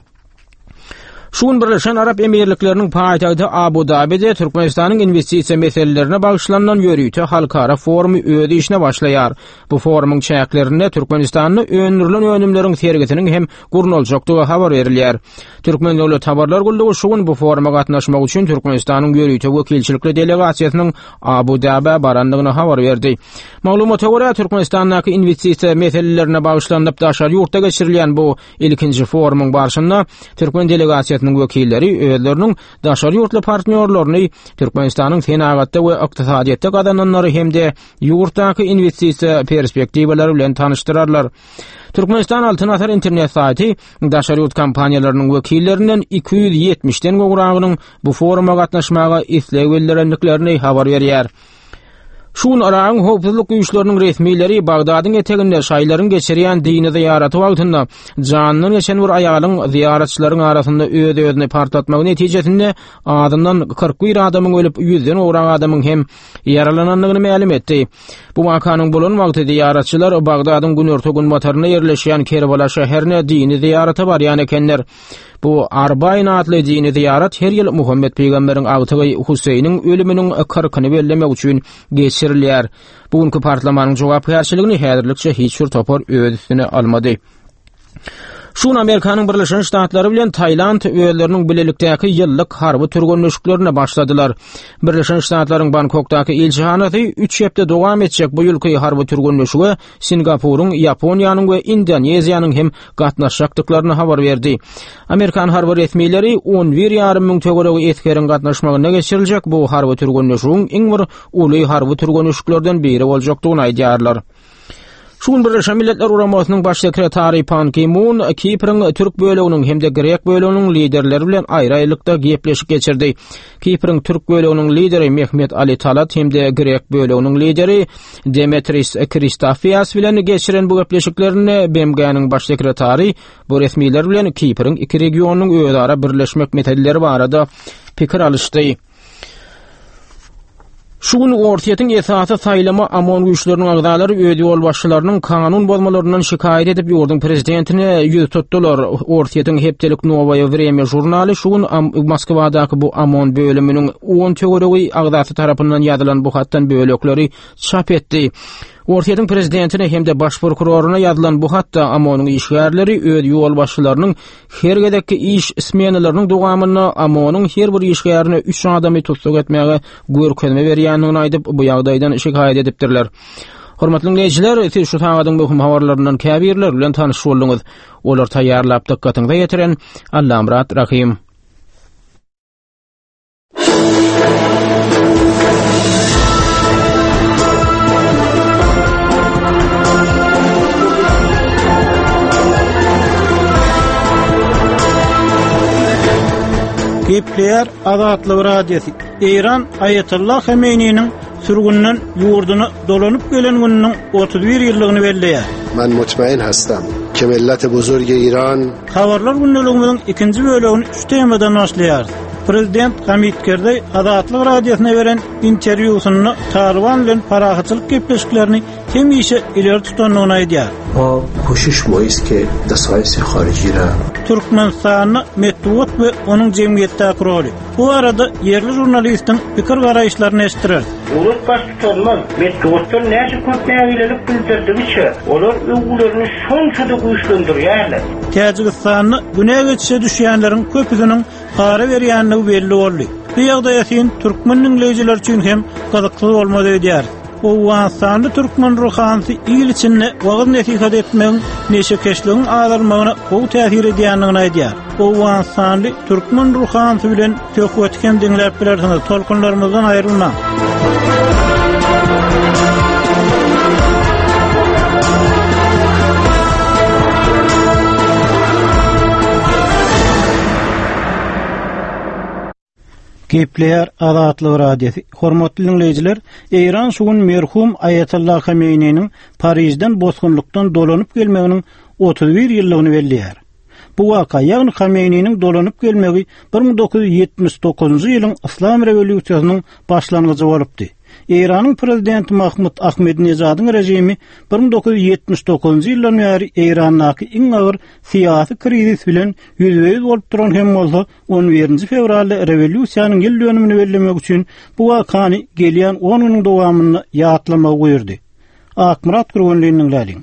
Şu gün Birleşen Arap Emirlikleriniň paýtagty Abu Dabide Türkmenistanyň inwestisiýa meselelerine bagyşlanylan ýörite halkara forumy öz işine başlaýar. Bu forumyň çäklerinde Türkmenistanda öndürilen önümleriň sergisiniň hem gurnaljakdygy habar berilýär. Türkmen döwlet habarlar gullugy şu gün bu foruma gatnaşmak üçin Türkmenistanyň ýörite wekilçilikli delegasiýasynyň Abu Dabä barandygyny habar berdi. Maglumata görä, Türkmenistandaky inwestisiýa meselelerine bagyşlanyp daşary ýurtda geçirilýän bu ilkinji forumyň barşynda türkmen delegasiýasynyň wekilleri özleriniň daşary ýurtly partnýorlaryny Türkmenistanyň senagatda we ykdysadyýetde gazananlary hem-de ýurtdaky inwestisiýa perspektiwalary bilen tanyşdyrarlar. Türkmenistan Altyn Asyr internet saýty daşary ýurt kompaniýalarynyň wekillerinden iki ýüz ýetmişden gowragynyň bu foruma gatnaşmaga isleg bildirendiklerini habar berýär. Şu gün Yragyň howpsuzlyk güýçleriniň resmileri Bagdadyň eteginde şaýlaryň geçirýän dini zyýaraty wagtynda janyndan geçen bir aýalyň zyýaratçylaryň arasynda öz-özüni partlatmagy netijesinde azyndan kyrk bir adamyň ölüp, ýüzden gowrak adamyň hem ýaralanandygyny mälim etdi. Bu wakanyň bolan wagty zyýaratçylar Bagdadyň günorta-günbatarynda ýerleşýän Kerbala şäherine dini zyýarata barýan ekenler. Bu Arbaýn atly dini zyýarat her ýyl Muhammet pygamberiň agtygy Huseýniň ölüminiň kyrkyny bellemek üçin geçirilýär. Bu günki partlamanyň jogapkärçiligini häzirlikçe hiç bir topar öz üstüne almady. Şu gün Amerikanyň Birleşen Ştatlary bilen Tailand özleriniň bilelikdäki ýyllyk harby türgenleşiklerine başladylar. Birleşen Ştatlaryň Bangkokdaky ilçihanasy üç hepde dowam etjek bu ýylky harby türgenleşige Singapuryň, Ýaponiýanyň we Indoneziýanyň hem gatnaşjakdyklaryny habar berdi. Amerikan harby resmileri on bir ýarym müň töweregi esgeriň gatnaşmagynda geçiriljek bu harby türgenleşigiň iň bir uly harby türgenleşiklerden biri boljakdygyny aýdýarlar. Şu gün Birleşen Milletler Guramasynyň Baş sekretary Pan Ki-mun Kipriň türk böleginiň hem-de grek böleginiň liderleri bilen aýry-aýrylykda gepleşik geçirdi. Kipriň türk böleginiň lideri Mehmet Ali Talat hem-de grek böleginiň lideri Demetris Kristofias bilen geçiren bu gepleşiklerinde B M G-niň baş sekretary bu resmiler bilen Kipriň iki regionynyň özara birleşmek meseleleri barada pikir alyşdy. Şu gün Orsýetiň esasy saýlama OMON güýçleriniň agzalary öz ýolbaşçylarynyň kanun bozmalaryndan şikaýat edip ýurduň prezidentine ýüz tutdular. Orsýetiň hepdelik Nowaýa Wremýa žurnaly şu gün Moskwadaky bu OMON bölüminiň on töweregi agzasy tarapyndan ýazylan bu hatdan bölekleri çap etdi. Orsýetiň prezidentine hem-de baş prokuroryna ýazylan bu hatda OMON-yň işgärleri öz ýolbaşçylarynyň her gezekki iş smenalarynyň dowamynda OMON-yň her bir işgärine üç adamy tussag etmäge görkezme berýändigini aýdyp, bu ýagdaýdan şikaýat edipdirler. Hormatly dinleýjiler, siz şu sagadyň möhüm habarlaryndan käbirleri bilen tanyş bolduňyz. Olar taýýarlap dykgatyňyza ýetiren Allamyrat Rahym. Gepleýär Azatlyk Radiosy. Eýran Aýatollah Homeýniniň sürgünden ýurduna dolanyp gelen gününiň otuz bir ýyllygyny belleýär. Men mutmain hastam ke millet buzurg Iran Habarlar gündeligimiziň ikinji bölegini şu temadan başlaýarys. Prezident Hamid Kerzeý Azatlyk Radiosyna beren interwýusynda Talyban bilen parahatçylyk gepleşiklerini hemişe ileri tutandygyny aýdýar. Ma koşiş moýiz ke desayis hariji ra. Türkmenistanda metbugat we onuň jemgyýetdäki roly. Bu barada ýerli žurnalistiň pikir garaýyşlaryny eşitdireris. Döwlet baştutanymyz metbugatdan näçe köp nägilelik bildirdigiçe, olar öwgülerini şonça-da güýçlendirýärler. Täjigistanda günä geçişe düşýänleriň köpüsiniň para berýändigi belli boldy. Bu ýagdaýa sen türkmen diňleýjiler üçin hem gyzykly bolmaz öýdýär. Owganystanly türkmen ruhanysy il içinde wagyz nesihat etmegiň neşekeşligiň azalmagyna gowy täsir edýändigini aýdýar. Owganystanly türkmen ruhanysy bilen söhbeti hem diňläp bilersiňiz. Tolkunlarymyzdan aýrylmaň. Gepleýär Azatlyk Radiosy. Hormatly dinleýjiler, Eýran şu gün merhum Aýatollah Homeýniniň Parižden bosgunlykdan dolanyp gelmeginiň otuz bir ýyllygyny belleýär. Bu waka, ýagny Homeýniniň dolanyp gelmegi bir müň dokuz ýüz ýetmiş dokuzynjy ýylyň Yslam rewolýusiýasynyň başlangyjy bolupdy. Eýranyň prezidenti Mahmud Ahmedinejadyň režimi bir müň dokuz ýüz ýetmiş dokuzynjy ýyldan bäri Eýrandaky iň agyr syýasy krizis bilen ýüzbe-ýüz bolup duran hem bolsa, on birinji fewralda rewolýusiýanyň ýyl dönümini bellemek üçin bu wakany gelýän on günüň dowamynda ýatlamagy buýurdy. Akmyrat Gurbanlynyň läliň.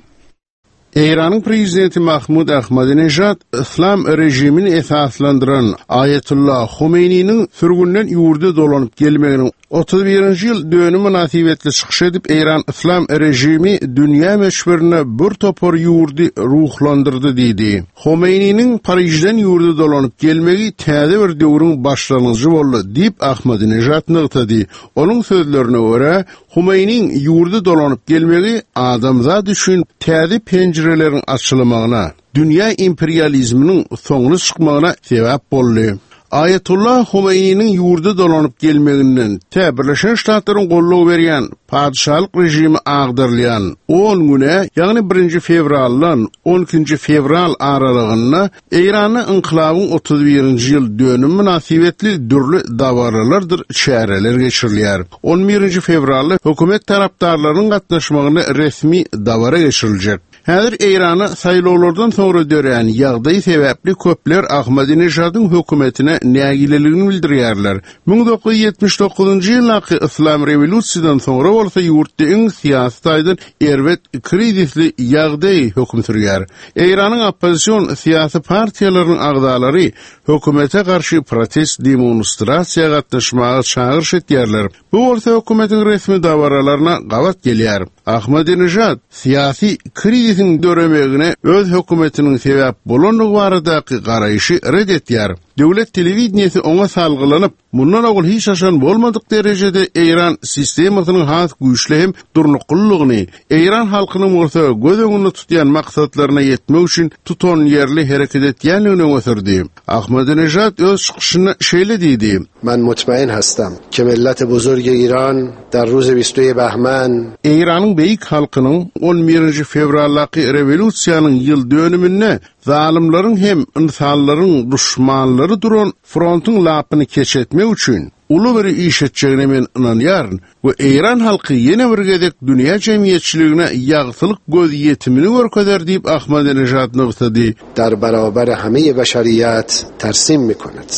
Eýranyň prezidenti Mahmud Ahmadinejad Islam rejimini esaslandyran Aýatollah Homeýniniň sürgünden ýurda dolanyp gelmeginiň otuz birinji ýyl dönüm mynasybetli çykyş edip, Eýran Islam rejimi dünýä möçberinde bir topar ýurdy ruhlandyrdy diýdi. Homeýniniň Parižden ýurda dolanyp gelmegi täze bir döwrüň başlangyjy boldy diýip Ahmadinejad nygtady. Onuň sözlerine görä, Homeýniň ýurda dolanyp gelmegi adamzat üçin täze penjireleriň açylmagyna, dünýä imperializminiň soňuna çykmagyna sebäp boldy. Aýatollah Homeýniniň ýurda dolanyp gelmeginden tä Birleşen Ştatlaryň goldaw berýän patyşalyk rejimi agdarylýan on güne, ýagny birinji fewraldan on ikinji fewral aralygynda Eýranda inkilabyň otuz birinji ýyl dönüm mynasybetli dürli dabaralardyr çäreler geçirilýär. On birinji fewralda hökümet tarapdarlarynyň gatnaşmagynda resmi dabara geçiriljek. Häzir Eýrana saýlawlardan soňra dörän ýagdaý sebäpli köpler Ahmadinejadyň hökümetine nägileligini bildirýärler. Müň dokuz ýüz ýetmiş dokuzynjy ýyldaky Yslam rewolýusiýadan soňra bolsa ýurtda iň syýasy taýdan erbet krizisli ýagdaý höküm sürýär. Eýranyň oppozision syýasy partiýalarynyň agzalary hökümete garşy protest demonstrasiýa gatnaşmaga çagyryş etýärler. Bu bolsa hökümetiň resmi dabaralaryna gabat gelýär. Ahmadinejad syýasy krizisiň döremegine öz hökümetiniň sebäp bolandygy baradaky garaýşy red etýär. Döwlet telewideniýesi oňa salgylanyp, mundan owal hiç haçan bolmadyk derejede Eýran sistemasynyň has güýçli hem durnuklylygyny, Eýran halkynyň bolsa göz öňünde tutýan maksatlaryna ýetmek üçin tutan ýerli hereket etýändigini öňe sürdi. Ahmadinejad öz çykyşynda şeýle diýdi: Men mutmain hastam ke millet buzurg Iran dar ruz bistü Bahman Eýranyň beýik halkynyň on birinji fewraldaky rewolýusiýanyň ýyl dönüminde zalymlaryň hem insanlaryň duşmanlary duran frontuň lapyny keç etmek üçin uly bir iş etjegine men ynanýaryn we Eýran halky ýene bir gezek dünýä jemgyýetçiligine ýagtylyk göz ýetimini görkezer diýip Ahmadinejad nygtady. Dar barabar hame beşeriyat tersim mikonad.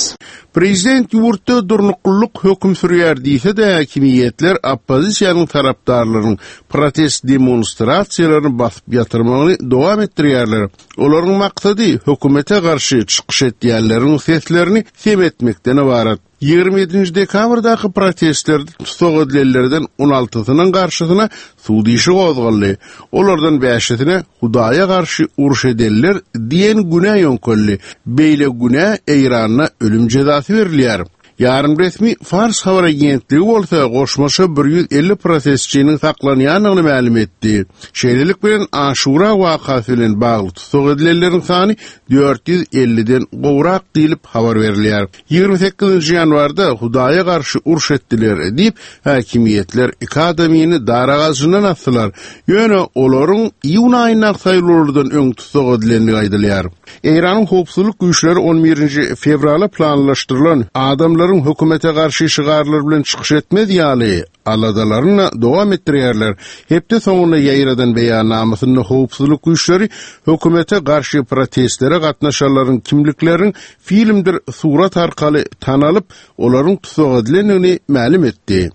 Prezident ýurtda durnuklylyk höküm sürýär diýse de hakimiýetler oppozisiýanyň tarapdarlarynyň protest demonstrasiýalaryny basyp ýatyrmagyny dowam etdirýärler. Olaryň maksady hökümete garşy çykyş etýänleriň seslerini sem etmekden ybarat. Ýigrimi ýedinji dekabrdaky protestlerde tussag edilenlerden on altysynyň garşysyna sud işi gozgaldy. Olardan bäşisine Hudaýa garşy uruş edenler diýen günä ýöňkeldi. Beýle günä Eýranda ölüm jezasy berilýär. Ýarym resmi Fars habar agentligi bolsa goşmaça bir ýüz elli protestçiniň saklanýandygyny mälim etdi. Şeýlelik bilen Aşura wakasy bilen bagly tussag edilenleriň sany dört ýüz elliden gowrak diýlip habar berilýär. Ýigrimi sekizinji ýanwarda Hudaýa garşy uruş etdiler diýip, häkimiýetler iki adamyny dar agajyndan asdylar. Ýöne olaryň iýun aýyndaky saýlawlardan öň tussag edilendigi aýdylýar. Eýranyň howpsuzlyk güýçleri on birinji fewrala planlaşdyrylan adamlaryň hökümete garşy şygarlar bilen çykyş etmez ýaly aladalaryny dowam etdirýärler. Hepde soňunda ýaýradan beýannamasynda howpsuzlyk güýçleri hökümete garşy protestlere gatnaşanlaryň kimlikleriniň filmdir surat arkaly tanalyp, olaryň tussag edilendigini mälim etdi.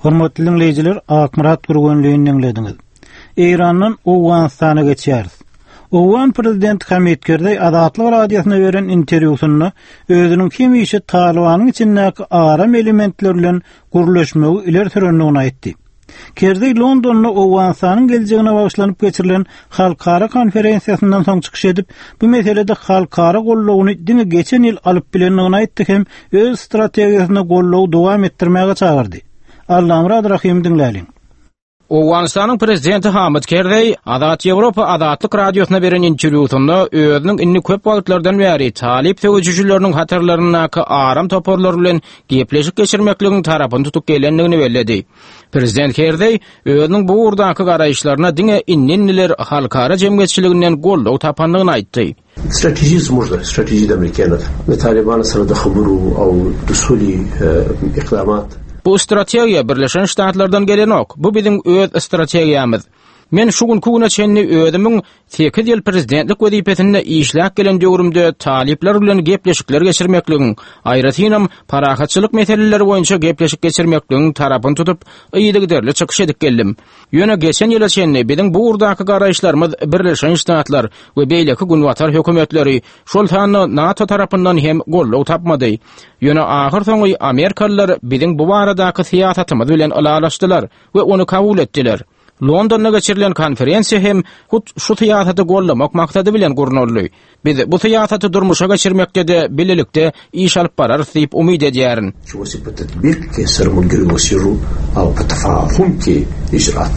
Hormatly diňleýjiler, Akmyrat Gürgenlini diňlediňiz. Eýrandan Owganystana geçýäris. Owgan prezidenti Hamid Kerzeý Azatlyk radiosyna beren interwýusynda özüniň hemişe Talybanyň içindäki aram elementler bilen gürleşmegi ileri sürendigini aýtdy. Kerzeý Londonda Owganystanyň geljegine bagyşlanyp geçirilen halkara konferensiýasyndan soň çykyş edip, bu meselede halkara goldawyny diňe geçen ýyl alyp bilendigini aýtdy hem öz strategiýasyna goldawy dowam etdirmäge çagyrdy. Allamurad Rahim diňläliň. Owganystanyň prezidenti Hamid Kerzeý Azat Ýewropa Azatlyk radiosyna beren interwýusynda özüniň indi köp wagtlardan bäri talyp söweşijileriniň hatarlaryndaky aram toparlar bilen gepleşik geçirmekligiň tarapyny tutup gelendigini belledi. Prezident Kerzeý özüniň bu ugurdaky garaýyşlaryna diňe indi-indiler halkara jemgyýetçiliginden goldaw tapandygyny aýtdy. Strategy زموږ ده، strategy د امریکایانو ده. د طالبانو سره د خبرو او د سولې اقدامات. Bu strategiýa Birleşen Ştatlardan gelenok. Bu biziň öz strategiýamyz. Men şu günki güne çenli özümiň sekiz ýyl prezidentlik wezipesinde işläp gelen döwrümde talyplar bilen gepleşikler geçirmekligiň, aýratynam parahatçylyk meseleleri boýunça gepleşik geçirmekligiň tarapyny tutup, yzygiderli çykyş edip geldim. Ýöne geçen ýyla çenli biziň bu ugurdaky garaýyşlarymyz Birleşen Ştatlar we beýleki günbatar hökümetleri, şol sanda NATO tarapyndan hem goldaw tapmady. Ýöne ahyr soňy Amerikalylar biziň bu baradaky syýasatymyz bilen ylalaşdylar we ony kabul etdiler. Londonda geçirilen konferensiýa hem hut şu syýasaty gollamak maksady bilen gurnaldy. Biz bu syýasaty durmuşa geçirmekde de birlikde iş alyp bararys diýip umyt edýärin. Şu tatbiq ke sar mulgiri wasiru aw tafahum ke icraat.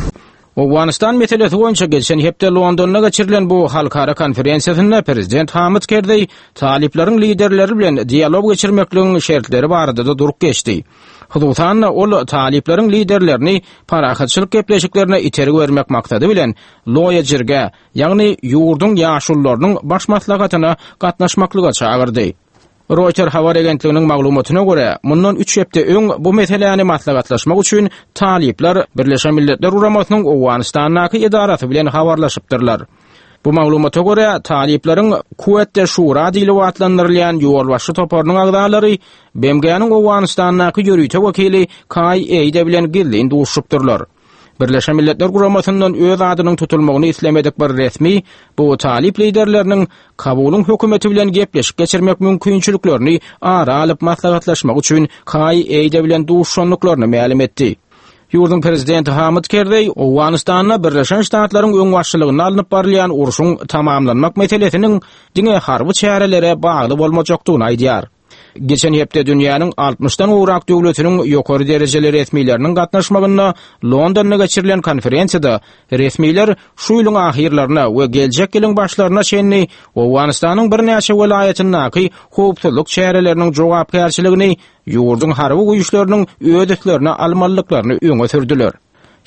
Owganystan meselesi boýunça geçen hepde Londonda geçirilen bu halkara konferensiýasynda prezident Hamid Kerzeý talyplaryň liderleri bilen dialog geçirmekligiň şertleri barada da durup geçdi. Hususan ol talyplaryň liderlerini parahatçylyk gepleşiklerine itergi bermek maksady bilen Loýa Jirge, ýagny ýurduň ýaşulularynyň baş maslahatyna gatnaşmaklyga çagyrdy. Reuters habar agentliginiň maglumatyna görä, mundan üç hepde öň bu meseläni maslahatlaşmak üçin talyplar Birleşen Milletler Guramasynyň Owganystandaky edarasy bilen habarlaşypdyrlar. Bu maglumata görä, talyplaryň Kuwetde Şura diýlip atlandyrylýan ýolbaşçy toparynyň agzalary B M G-niň Owganystandaky ýörite wekili Kai Eide bilen gizlin duşupdyrlar. Birleşen Milletler Guramasyndan öz adynyň tutulmagyny islemedik bir resmi bu talyp liderleriniň Kabulyň hökümeti bilen gepleşik geçirmek mümkinçiliklerini ara alyp maslahatlaşmak üçin Kai Eide bilen duşanlyklaryny mälim etdi. Ýurduň prezidenti Hamid Kerzeý Owganystanda Birleşen Ştatlaryň öňbaşçylygynda alnyp barylýan urşuň tamamlanmak meselesiniň diňe harby çärelere bagly bolmajakdygyny aýdýar. Geçen hepde dünýäniň altmyşdan gowrak döwletiniň ýokary derejeli resmileriniň gatnaşmagynda Londonda geçirilen konferensiýada resmiler şu ýylyň ahyrlaryna we geljek ýylyň başlaryna çenli Owganystanyň birnäçe welaýatyndaky howpsuzlyk çäreleriniň jogapkärçiligini ýurduň harby güýçleriniň öz üstlerine almalyklaryny öňe sürdüler.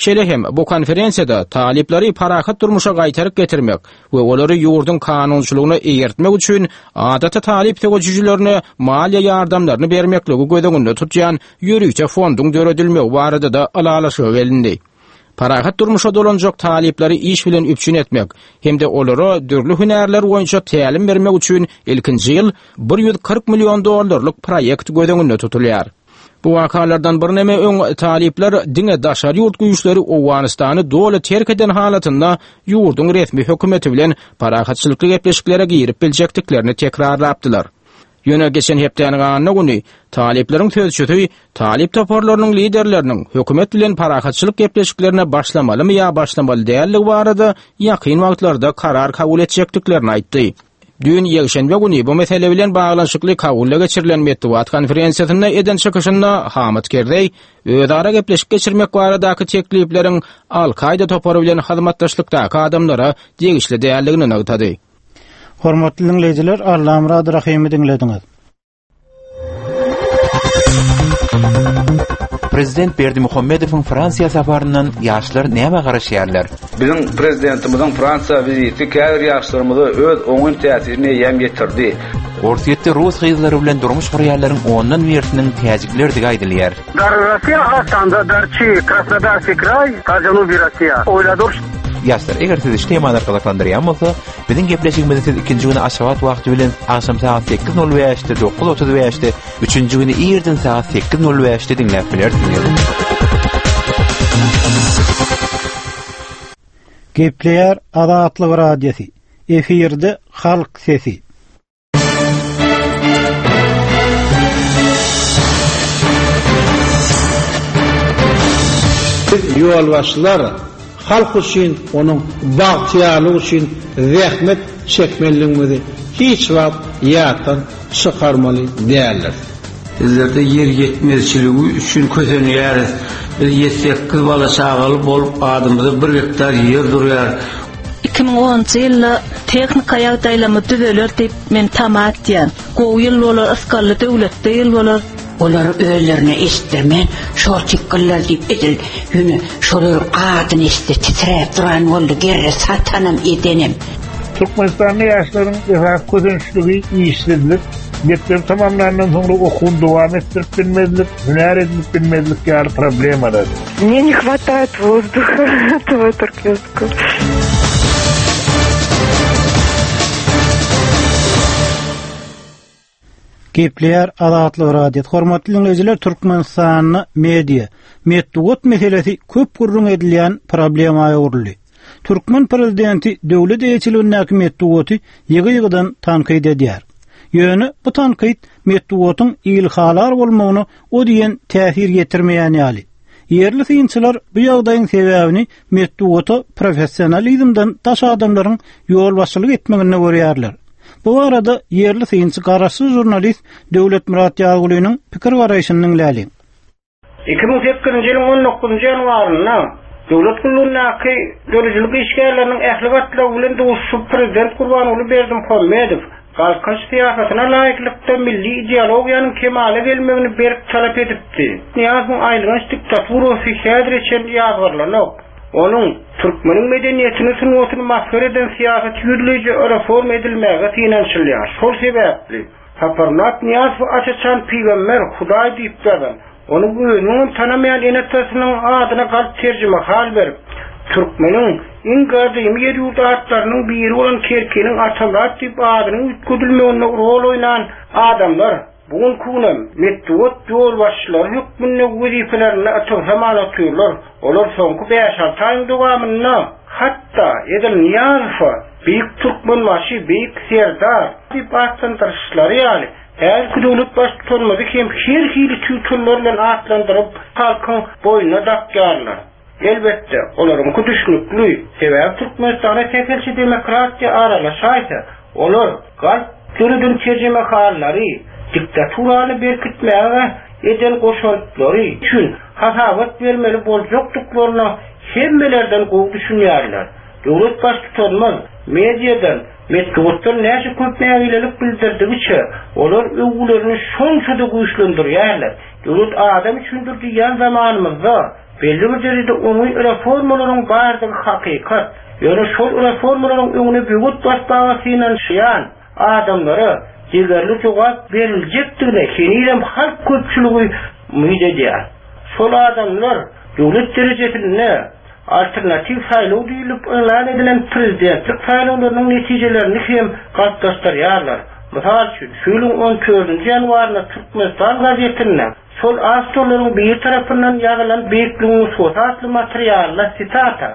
Şeýle hem bu konferensiýada talyplary parahat durmuşa gaýtaryp getirmek we olary ýurduň kanunçylygyna eýertmek üçin adaty talyp söweşijilerine maliýe ýardamlaryny bermekligi göz öňünde tutýan ýörite fonduň döredilmegi barada da ylalaşyga gelindi. Parahat durmuşa dolanjak talyplary iş bilen üpjün etmek hem-de olara dürli hünärler boýunça tälim bermek üçin ilkinji ýyl bir ýüz kyrk million dollarlyk proýekt göz öňünde tutulýar. Bu wakalardan birneme öň talyplar diňe daşary ýurt güýçleri Owganystany doly terk eden halatynda ýurduň resmi hökümeti bilen parahatçylykly gepleşiklere girip biljekdiklerini tekrarlapdylar. Ýöne geçen hepdäniň anna güni talyplaryň sözçüsi talyp toparlarynyň liderleriniň hökümet bilen parahatçylyk gepleşiklerine başlamalymy ýa başlamaly dälligi barada ýakyn wagtlarda karar kabul etjekdiklerini aýtdy. Düýn ýekşenbe güni bu mesele bilen baglanyşykly Kabulda geçirilen metbugat konferensiýasynda eden çykyşynda Hamid Kerzeý özara gepleşik geçirmek baradaky teklipleriň Al-Kaýda topary bilen hyzmatdaşlykdaky adamlara degişli däldigini nygtady. Hormatly dinleýjiler, Allamurad Rahymy diňlediňiz. Prezident Berdimuhamedowyň Fransiýa saparyndan ýaşlar näme garaşýarlar? Biziň prezidentimiziň Fransiýa wiziti käbir ýaşlarymyza öz oňyn täsirini eýýäm ýetirdi. Orsýetde rus gyzlary bilen durmuş gurýanlaryň ondan birisiniň täjiklerdigi aýdylýar. Dar Rossiýa hatanda Darçi, Krasnodarskiý kraý, Janubiy Rossiýa. Oýladyr. Ýaşlar, eger sizi şu temalar gyzyklandyrýan bolsa, biziň gepleşigimizi siz ikinji güni Aşgabat wagty bilen agşam sagat sekiz nol bäşde, dokuz otuz bäşde, üçünji güni irden sagat sekiz nol bäşde diňläp bilersiňiz. Gepleýär Azatlyk Radiosy. Efirde Halk Sesi. Biz ýolbaşçylar halk üçin, onuň bagtyýarlygy üçin zähmet çekmeliligimizi hiç wagt ýatdan çykarmaly däldir. Bizlerde ýer ýetmezçiligi üçin kösenýäris. Biz ýedi sekiz bala çagaly bolup adymyza bir gektar ýer durýar. Iki müň onunjy ýylda tehnika ýagdaýlamy düzeler diýip men tama etýän. Gowy ýyl bolar, ysgally döwletde ýyl bolar. Olar özlerine eşitdirmän, şortikgiller diýip edil, ýöne şolaryň adyny eşitse titräp duran boldy, gerre satanam edenem. Türkmenistanly ýaşlaryň esasy kösençligi işsizlik, mekdep tamamlandan soňra okuwyny dowam etdirip bilmezlik, hünär edinip bilmezlik ýaly problemalar. Мне не хватает воздуха этого туркменского. Gepleýär Azatlyk Radiosy. Hormatly dinleýjiler, Türkmenistanda media, metbugat meselesi köp gürrüň edilýän problema öwrüldi. Türkmen prezidenti döwlet eýeçiligindäki metbugaty ýygy-ýygydan tankyt edýär. Ýöne bu tankyt metbugatyň ilhalar bolmagyna o diýen täsir ýetirmeýän ýaly. Ýerli synçylar bu ýagdaýyň sebäbini metbugata professionalizmden daş adamlaryň ýolbaşçylyk etmeginde görýärler. Bu arada ýerli synçy garaşsyz žurnalist Döwletmyrat Ýazgulynyň pikir garaýşyny diňläliň. Iki müň sekizinji ýylyň on dokuzynjy ýanwarynda döwlet gullugyndaky döredijilik işgärleriniň ähli gatlagy bilen duşuşyp prezident Gurbanguly Berdimuhamedow Galkynyş syýasatyna laýyklykda milli ideologiýanyň kemala gelmegini berk talap edipdi. Nyýazowyň aýylganç diktaturasy häzire çenli ýazgarylanok. Onuň türkmeniň medeniýetini sungatyny masgara eden syýasat ýüzleýji reforma edilmäge synanyşylýar. Şol sebäpli Saparmyrat Nyýazow aç-açan pygamber Hudaý diýip ýazan, onuň özüniň tanamaýan ene-atasynyň adyna galp terjime hal berip, türkmeniň iň gadymy ýer ýurt atlarynyň biri bolan Kerkiniň Atamyrat diýip adynyň üýtgedilmeginde rol oýnan adamlar bu günki günem metbugat ýolbaşçylary hökmünde wezipelerinde ygtybarly otyrlar. Olar soňky bäş-alty aýyň dowamynda hatda edil Nyýazowa Beýik Türkmenbaşy, Beýik Serdar diýip atlandyryşlary ýaly häzirki döwlet baştutanymyzy hem her hili titullar bilen atlandyryp halkyň boýnuna dakýarlar. Elbetde, olaryňky düşnükli, sebäbi Türkmenistana sähelçe demokratiýa aralaşaýsa, olar galp döreden terjimehallary, diktaturany berkitmäge eden goşantlary üçin hasabat bermeli boljakdyklaryna hemmelerden gowy düşünýärler. Döwlet baştutanymyz mediadan, metbugatdan näçe köp nägilelik bildirdigiçe, olar öwgülerini şonça-da güýçlendirýärler. Döwlet adam üçindir diýen zamanymyzda belli bir derejede oňy reformalaryň bardygy hakykat. Ýöne şol reformalaryň öňüne böwet basmaga synanyşýan adamlara degerli jogap beriljekdigine henizem halk köpçüligi umyt edýär. Şol adamlar döwlet derejesinde alternatiw saýlaw diýilip yglan edilen prezidentlik saýlawlarynyň netijelerini hem galplaşdyrýarlar. Mysal üçin, şu ýylyň on dördünji ýanwarynda Türkmenistan gazetinde şol awtorlaryň bir tarapyndan ýazylan Beýikligiň nusgasy atly materialda sitata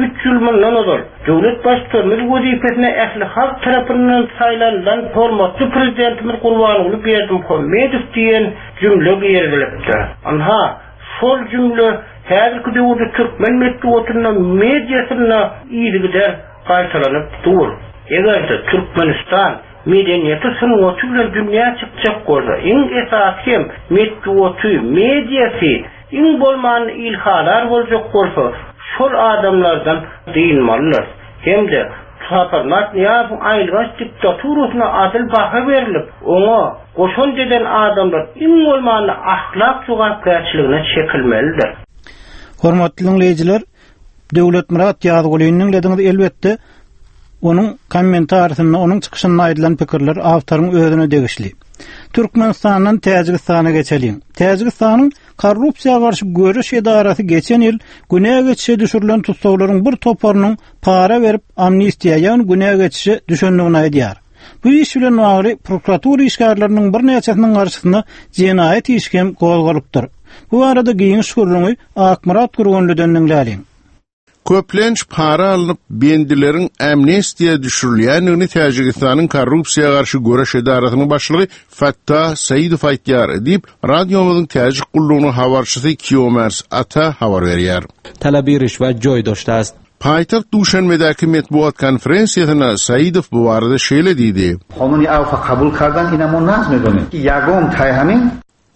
üç ýyl mundan ozal döwlet baştutanymyz wezipesine ähli halk tarapyndan saýlanylan hormatly prezidentimiz Gurbanguly Berdimuhamedow diýen jümle girizilipdir. Anha, şol jümle häzirki döwürde türkmen metbugatynda, mediasynda yzygider gaýtalanyp dur. Eger-de Türkmenistan medeniýeti sungaty bilen dünýä çykjak bolsa, iň esasy hem metbugaty, mediasy iň bolmanda ilhalar boljak bolsa, şol adamlardan dynmalydyr. Hem-de Saparmyrat Nyýazowyň aýylganç diktaturasyna adyl baha berlip, oňa goşant eden adamlar iň bolmanda ahlak jogapkärçiligine çekilmelidir. Hormatly diňleýjiler, Döwletmyrat Ýazgulyny diňlediňiz. Elbetde, onuň kommentarisinde, onuň çykyşynda aýdylan pikirler awtoryň özüne degişli. Türkmenistandan Täjigistana geçeliň. Täjigistanyň korrupsiýa garşy göreş edarasy geçen ýyl günä geçişe düşürilen tussaglaryň bir toparynyň para berip amnistiýa, ýagny günä geçişe düşendigini aýdýar. Bu iş bilen bagly prokuratura işgärleriniň birnäçesiniň garşysyna jenaýat işi hem gozgalypdyr. Bu barada giňiş gürrüňi Akmyrat Gürgenliden diňläliň. Köplenç para alnyp bendileriň amnistiýa düşürilýändigini Täjigistanyň korrupsiýa garşy göreş edarasynyň başlygy Fattah Saidow aýtýar diýip, radiomyzyň täjik gullugynyň habarçysy Kiomers Ata habar berýär. طلب رشوت جای داشته است. Paýtagt Duşenbedäki metbugat konferensiýasynda Saidow bu barada şeýle diýdi. Qonuni awfa qabul kardan ina mo naz medonim. Ýagom taýhamin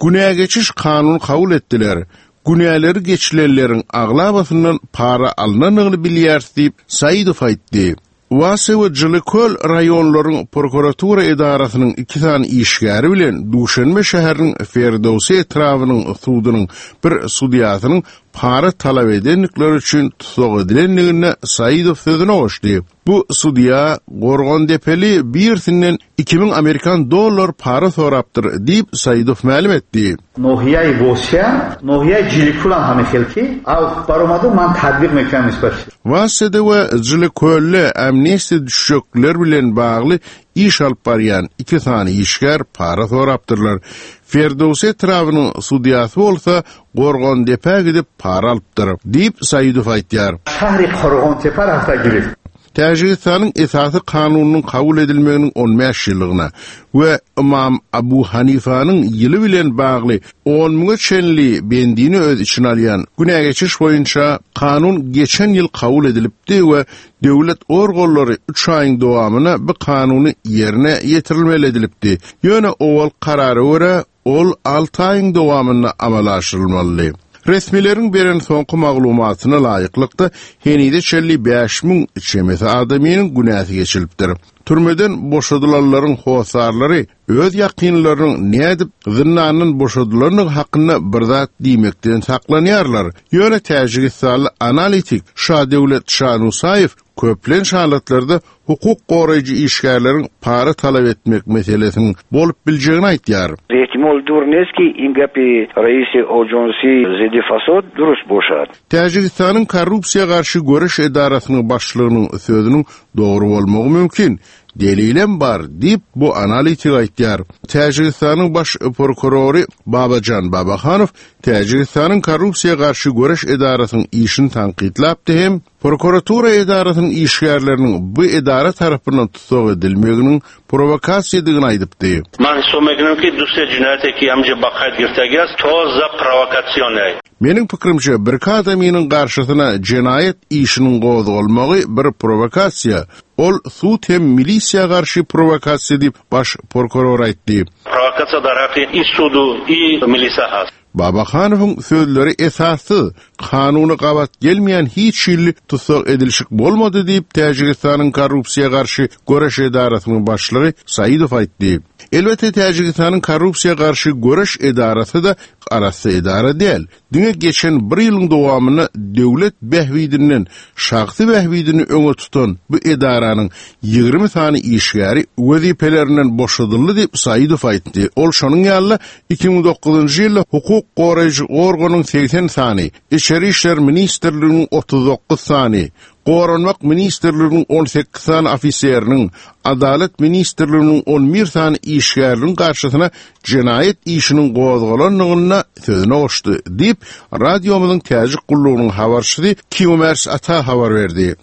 Günä geçiş kanuny kabul etdiler. Günäleri geçilenleriň aglabasyndan para alynandygyny bilýäris diýip Saidow aýtdy. Wase we Jylyköl raýonlaryň prokuratura edarasynyň iki sany işgäri bilen Duşenbe şäheriniň Ferdowsi etrabynyň sudunyň bir sudýasynyň para talap edendikleri üçin tussag edilendigini Saidow sözüne goşdy. Bu sudýa Gorgandepeli birsinden iki müň amerikan dollar para sorapdyr diýip Saidow mälim etdi. Nohiyai Vosya, nohiyai Jilikul ham hemixel ki, awf baromadu man tadbiq mekram nisbat. Wasede we Jylykölle amnistiýa düşjekler bilen bagly iş alyp barýan iki sany işgär para sorapdyrlar. Ferdowsi etrabynyň sudýasy bolsa Gorgandepä gidip para alypdyr diýip Saidow aýtýar. Şähri Gorgantepe rafta girip. Täjigistanyň esasy kanunynyň kabul edilmeginiň on bäş ýyllygyna we Imam Abu Hanifanyň ýyly bilen bagly on müňe çenli bendini öz içine alýan günä geçiş boýunça kanun geçen ýyl kabul edilipdi we döwlet organlary üç aýyň dowamyna bu kanuny ýerine ýetirilmeli edilipdi. Ýöne owal karara görä ol alty aýyň dowamynda amala aşyrylmaly. Resmileriň beren soňky maglumatyna laýyklykda henide çenli bäş müň çemesi adamynyň günäsi geçilipdir. Türmeden boşadylanlaryň hosarlary öz ýakynlarynyň nädip zyndandan boşadylandygy hakynda bir zat diýmekden saklanýarlar. Ýöne Täjigistanly analitik Şadöwlet Şanusaýew köplenç halatlarda hukuk goraýjy işgärleriň para talap etmek meselesiniň bolup biljegini aýtýar. Ehtimol dur neski in gapi raisi Ojonsi zidi fasod durust boşat. Täjigistanyň korrupsiýa garşy göreş edarasynyň başlygynyň sözüniň dogry bolmagy mümkin. Delilem bar diýip bu analitik aýtýar. Täjigistanyň baş prokurory Babajan Babahanow Täjigistanyň korrupsiýa garşy göreş edarasynyň işini tankytlapdy hem prokuratura edarasynyň işgärleriniň bu edara tarapyndan tussag edilmeginiň provokasiýadygyny aýdypdy. Man hisob mekунам ki duse cinayet ki amca baqayt girtagias toza provokatsion. Meniň pikrimçe bir adamynyň garşysyna jenaýat işiniň gozgalmagy bir provokasiýa. Ol sud hem milisiýa garşy provokasiýa diýip baş prokuror aýtdy. Provokasiýa daraqi i sudu i milisiýa has. Babahanowyň sözleri esassyz, kanuny gabat gelmeýän hiç hili tussag edilişik bolmady diýip Täjigistanyň korrupsiýa garşy göreş edarasynyň başlygy Saidow aýtdy. Elbetde Täjigistanyň korrupsiýa garşy göreş edarasy da arasy edara däl. Diňe geçen bir ýylyň dowamynda döwlet behwidinden şahsy behwidini öňe tutan bu edaranyň ýigrimi sany işgäri wezipelerinden boşadyldy diýip Saidow aýtdy. Ol şonuň ýaly iki müň dokuzynjy ýylda hukuk goraýjy organyň segsen sany, Içeri işler ministrliginiň otuz dokuz sany, Goranmak ministrliginiň on sekiz sany ofiseriniň, Adalet ministrliginiň on bir sany işgäriniň garşysyna jenaýat işiniň gozgalandygyny sözüne goşdy diýip radiomyzyň täjik gullugynyň habarçysy Kiomers Ata habar berdi.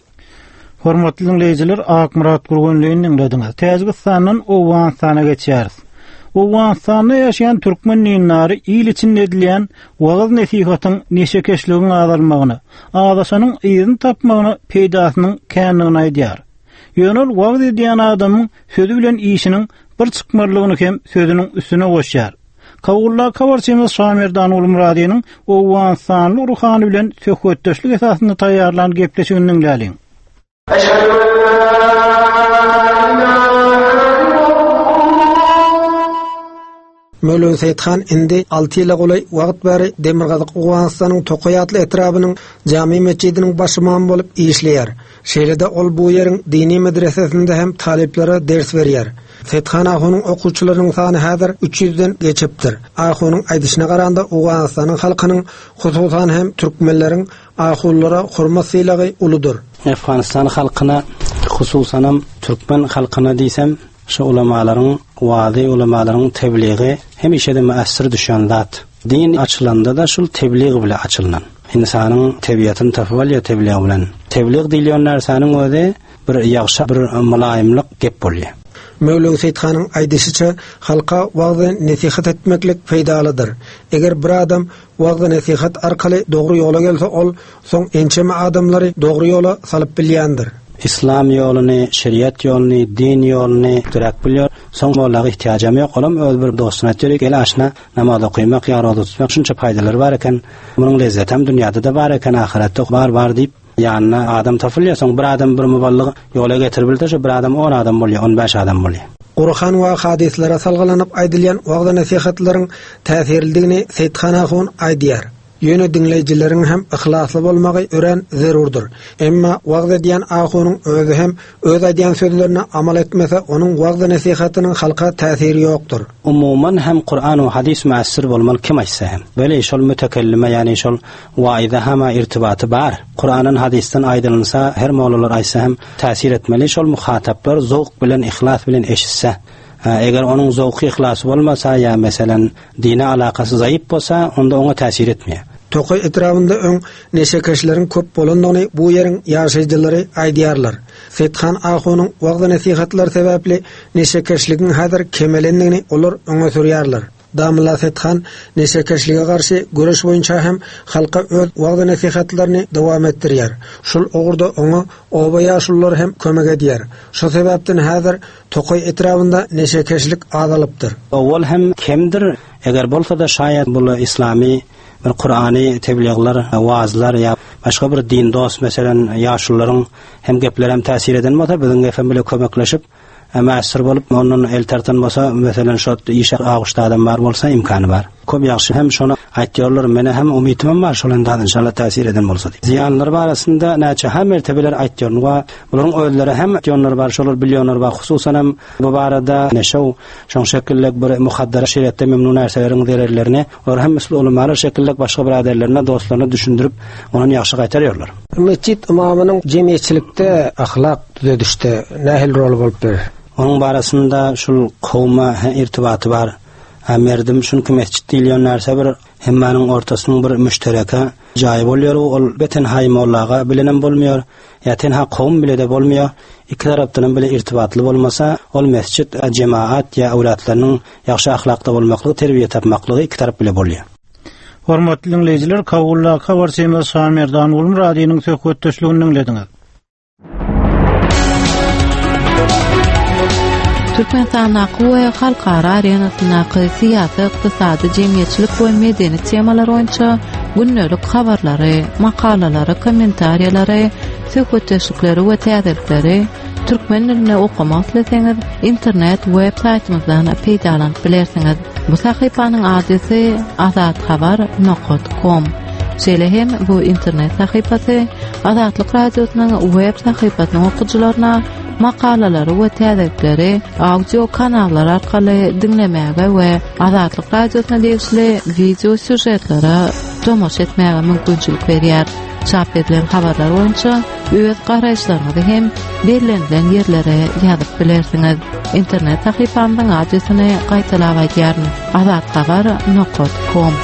Hormatly dinleýjiler, Akmyrat Gurgunlyny dinlediňiz. Täjigistandan Owganystana geçýäris. Owganystanda ýaşaýan türkmen dinlari il içinde edilýän wagyz nesihatyň neşekeşligiň azalmagyna, azaşanyň yzyny tapmagyna peýdasynyň kändigini aýdýar. Ýöne ol wagyz edýän adamyň sözi bilen işiniň bir çykmalygyny hem sözüniň üstüne goşýar. Kabulda habarçymyz Şamerdan Ulumradynyň Owganystanly ruhany bilen söhbetdeşlik esasynda taýýarlan gepleşigini diňläliň. Möwlöwi Seýithan indi alty ýyla golaý wagt bäri Demirgazyk Owganystanyň Tokaý atly etrabynyň Jami metjidiniň baş ymamy bolup işleýär. Şeýle-de ol bu ýeriň dini medresesinde hem talyplara ders berýär. Seýithan ahunyň okuwçylarynyň sany häzir üç ýüzden geçipdir. Ahunyň aýdyşyna garanda Owganystanyň halkynyň, hususan hem türkmenleriň ahunlara hormat sylagy uludyr. Afganistan halkyna, hususan hem türkmen halkyna diýsem, şu ulamalaryň wazy, ulamalaryň tebliği hemişe de müessir düşen zat. Din açylanda da şul tebliğ bile açylan. İnsanın tebiatını tapyp alýar tebliğ bilen. Tebliğ diýilýän närseniň özi bir ýagşy, bir mylaýymlyk gep bolýar. Möwlöwi Seýithanyň aýdyşyça halka wagzy nesihat etmeklik peýdalydyr. Eger bir adam wagzy nesihat arkaly dogry ýola gelse, ol soň ençeme adamlary dogry ýola salyp bilýändir. İslam ýoluny, şeriat ýoluny, din ýoluny dürek bilýär. Soň mollaga ihtiýajam ýok. Olam öz bir dostuna aýtýar, gel aşna namaz okamak, ýa roza tutmak şunça paýdalary bar eken. Munuň lezzeti hem dünýäde de bar eken, ahyretde bar bar diýip ýanyna adam tapylýar. Soň bir adam bir muballyg ýola getirip bilse, şu bir adam on adam bolýar, on bäş adam bolýar. Kur'an we hadislere salgylanyp aýdylýan wagzy nesihatlaryň täsirlidigini Seýithan ahun aýdýar. Ýöne diňleýjileriň hem yhlasly bolmagy örän zerurdyr. Emma wagz edýän ahunyň özi hem öz aýdýan sözlerine amal etmese, onuň wagzy nesihatynyň halka täsiri ýokdur. Umuman hem Kur'an we hadis müessir bolmaly kim aýtsa hem. Weli şol mütekellime, ýani şol waize hama irtibaty bar. Kur'an'ın hadisden aýdylsa, her mollalar aýtsa hem täsir etmeli. Şol muhataplar zowk bilen, ihlas bilen eşitse. Ha, eger onuň zowky ihlasy bolmasa ýa meselen dine alakasy zaýyp bolsa, onda oňa täsir etmeýär. Tokaý etrabynda öň neşekeşleriň köp bolandygyny bu ýeriň ýaşaýjylary aýdýarlar. Seýithan ahunyň wagzy nesihatlary sebäpli neşekeşligiň häzir kemelendigini olar öňe sürýärler. Damla Seýithan neşekeşlige garşy göreş boýunça hem halka öz wagzy nesihatlaryny dowam etdirýär. Şul ugurda oňa oba ýaşululary hem kömek edýär. Şu sebäpden häzir Tokaý etrabynda neşekeşlik azalypdyr. Owal hem kemdir, eger bolsa da şaýat bu islami bir Kur'any tebliğler, vaazlar ýa başga bir din dost meselen ýaşulularyň hem gepleri hem täsir eden bolsa, biziň hem bile kömekleşip müessir bolup ondan el tartan bolsa, meselen şo işe aguşda adam bar bolsa imkany bar. Köp ýagşy hem şona aýtýarlar, mene hem umytym bar, şol indi inşallah täsir eden bolsa diýip. Ziýanlar barasynda näçe hem mertebeler aýtýarlar we bularyň özleri hem aýtýanlar bar, şolar bilýanlar bar, hususan hem bu barada neşew şoň şekillik bir muhaddara şeriatda memnun närselerin zererlerini olar hem misli ulamalar şekillik başga biraderlerine, dostlaryna düşündirip, onun ýagşy gaýtarýarlar. Mesjid imamynyň jemgyýetçilikde ahlak düzedişde nähili rol bolup biler? Onun barasynda şul kowma irtibaty bar. Ha, merdim çünki mesjid diýilýän närse bir hemmaniň ortasynyň bir müştereke jaýy bolýar. Ol beten haý mollaga bilenem bolmaýar, ýa tenha kowum bile de bolmaýar. Iki tarapdan bile irtibatly bolmasa, ol mesjid jemaat ýa awlatlarynyň ýagşy ahlakda bolmaklygy, terbiýe tapmaklygy iki tarap bile bolýar. Hormatly dinleýjiler, Kabulda habarçymyz Şamerdan Gulmuradynyň söhbetdeşligini diňlediňiz. Türkmenistandaky we halkara arenasyndaky syýasy, ykdysady, jemgyýetçilik we medeni temalar boýunça gündelik habarlary, makalalary, kommentariýalary, söhbetdeşlikleri we täzelikleri türkmen dilinde okamak isleseňiz, internet web saýtymyzdan peýdalanyp bilersiňiz. Bu sahypanyň adresi azathabar nokta com. Şeýle hem bu internet sahypasy Azatlyk Radiosynyň web sahypasynyň okyjylaryna makalalary we täzelikleri audio kanallar arkaly diňlemäge we Azatlyk Radiosyna degişli video sýužetlere tomaşa etmäge mümkinçilik berýär. Çap edilen habarlar boýunça öz garaýyşlaryňyzy hem bellenilen ýerlere ýazyp bilersiňiz. Internet sahypamyzyň adresini gaýtalap aýdýaryn: azathabar nokta com.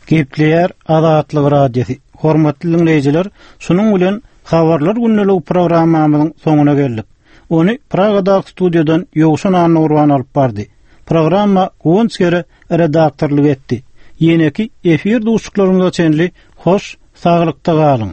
Gepleýär Azatlyk Radiosy. Hormatly dinleýjiler, şunuň bilen habarlar gündelik programmamyzyň soňuna geldik. Ony Pragadaky studiýadan Ýowşan Annurban alyp bardy. Programma Guwanç Gere redaktorlyk etdi. Ýeneki efir duşuşyklarymyza çenli hoş, saglykda galyň.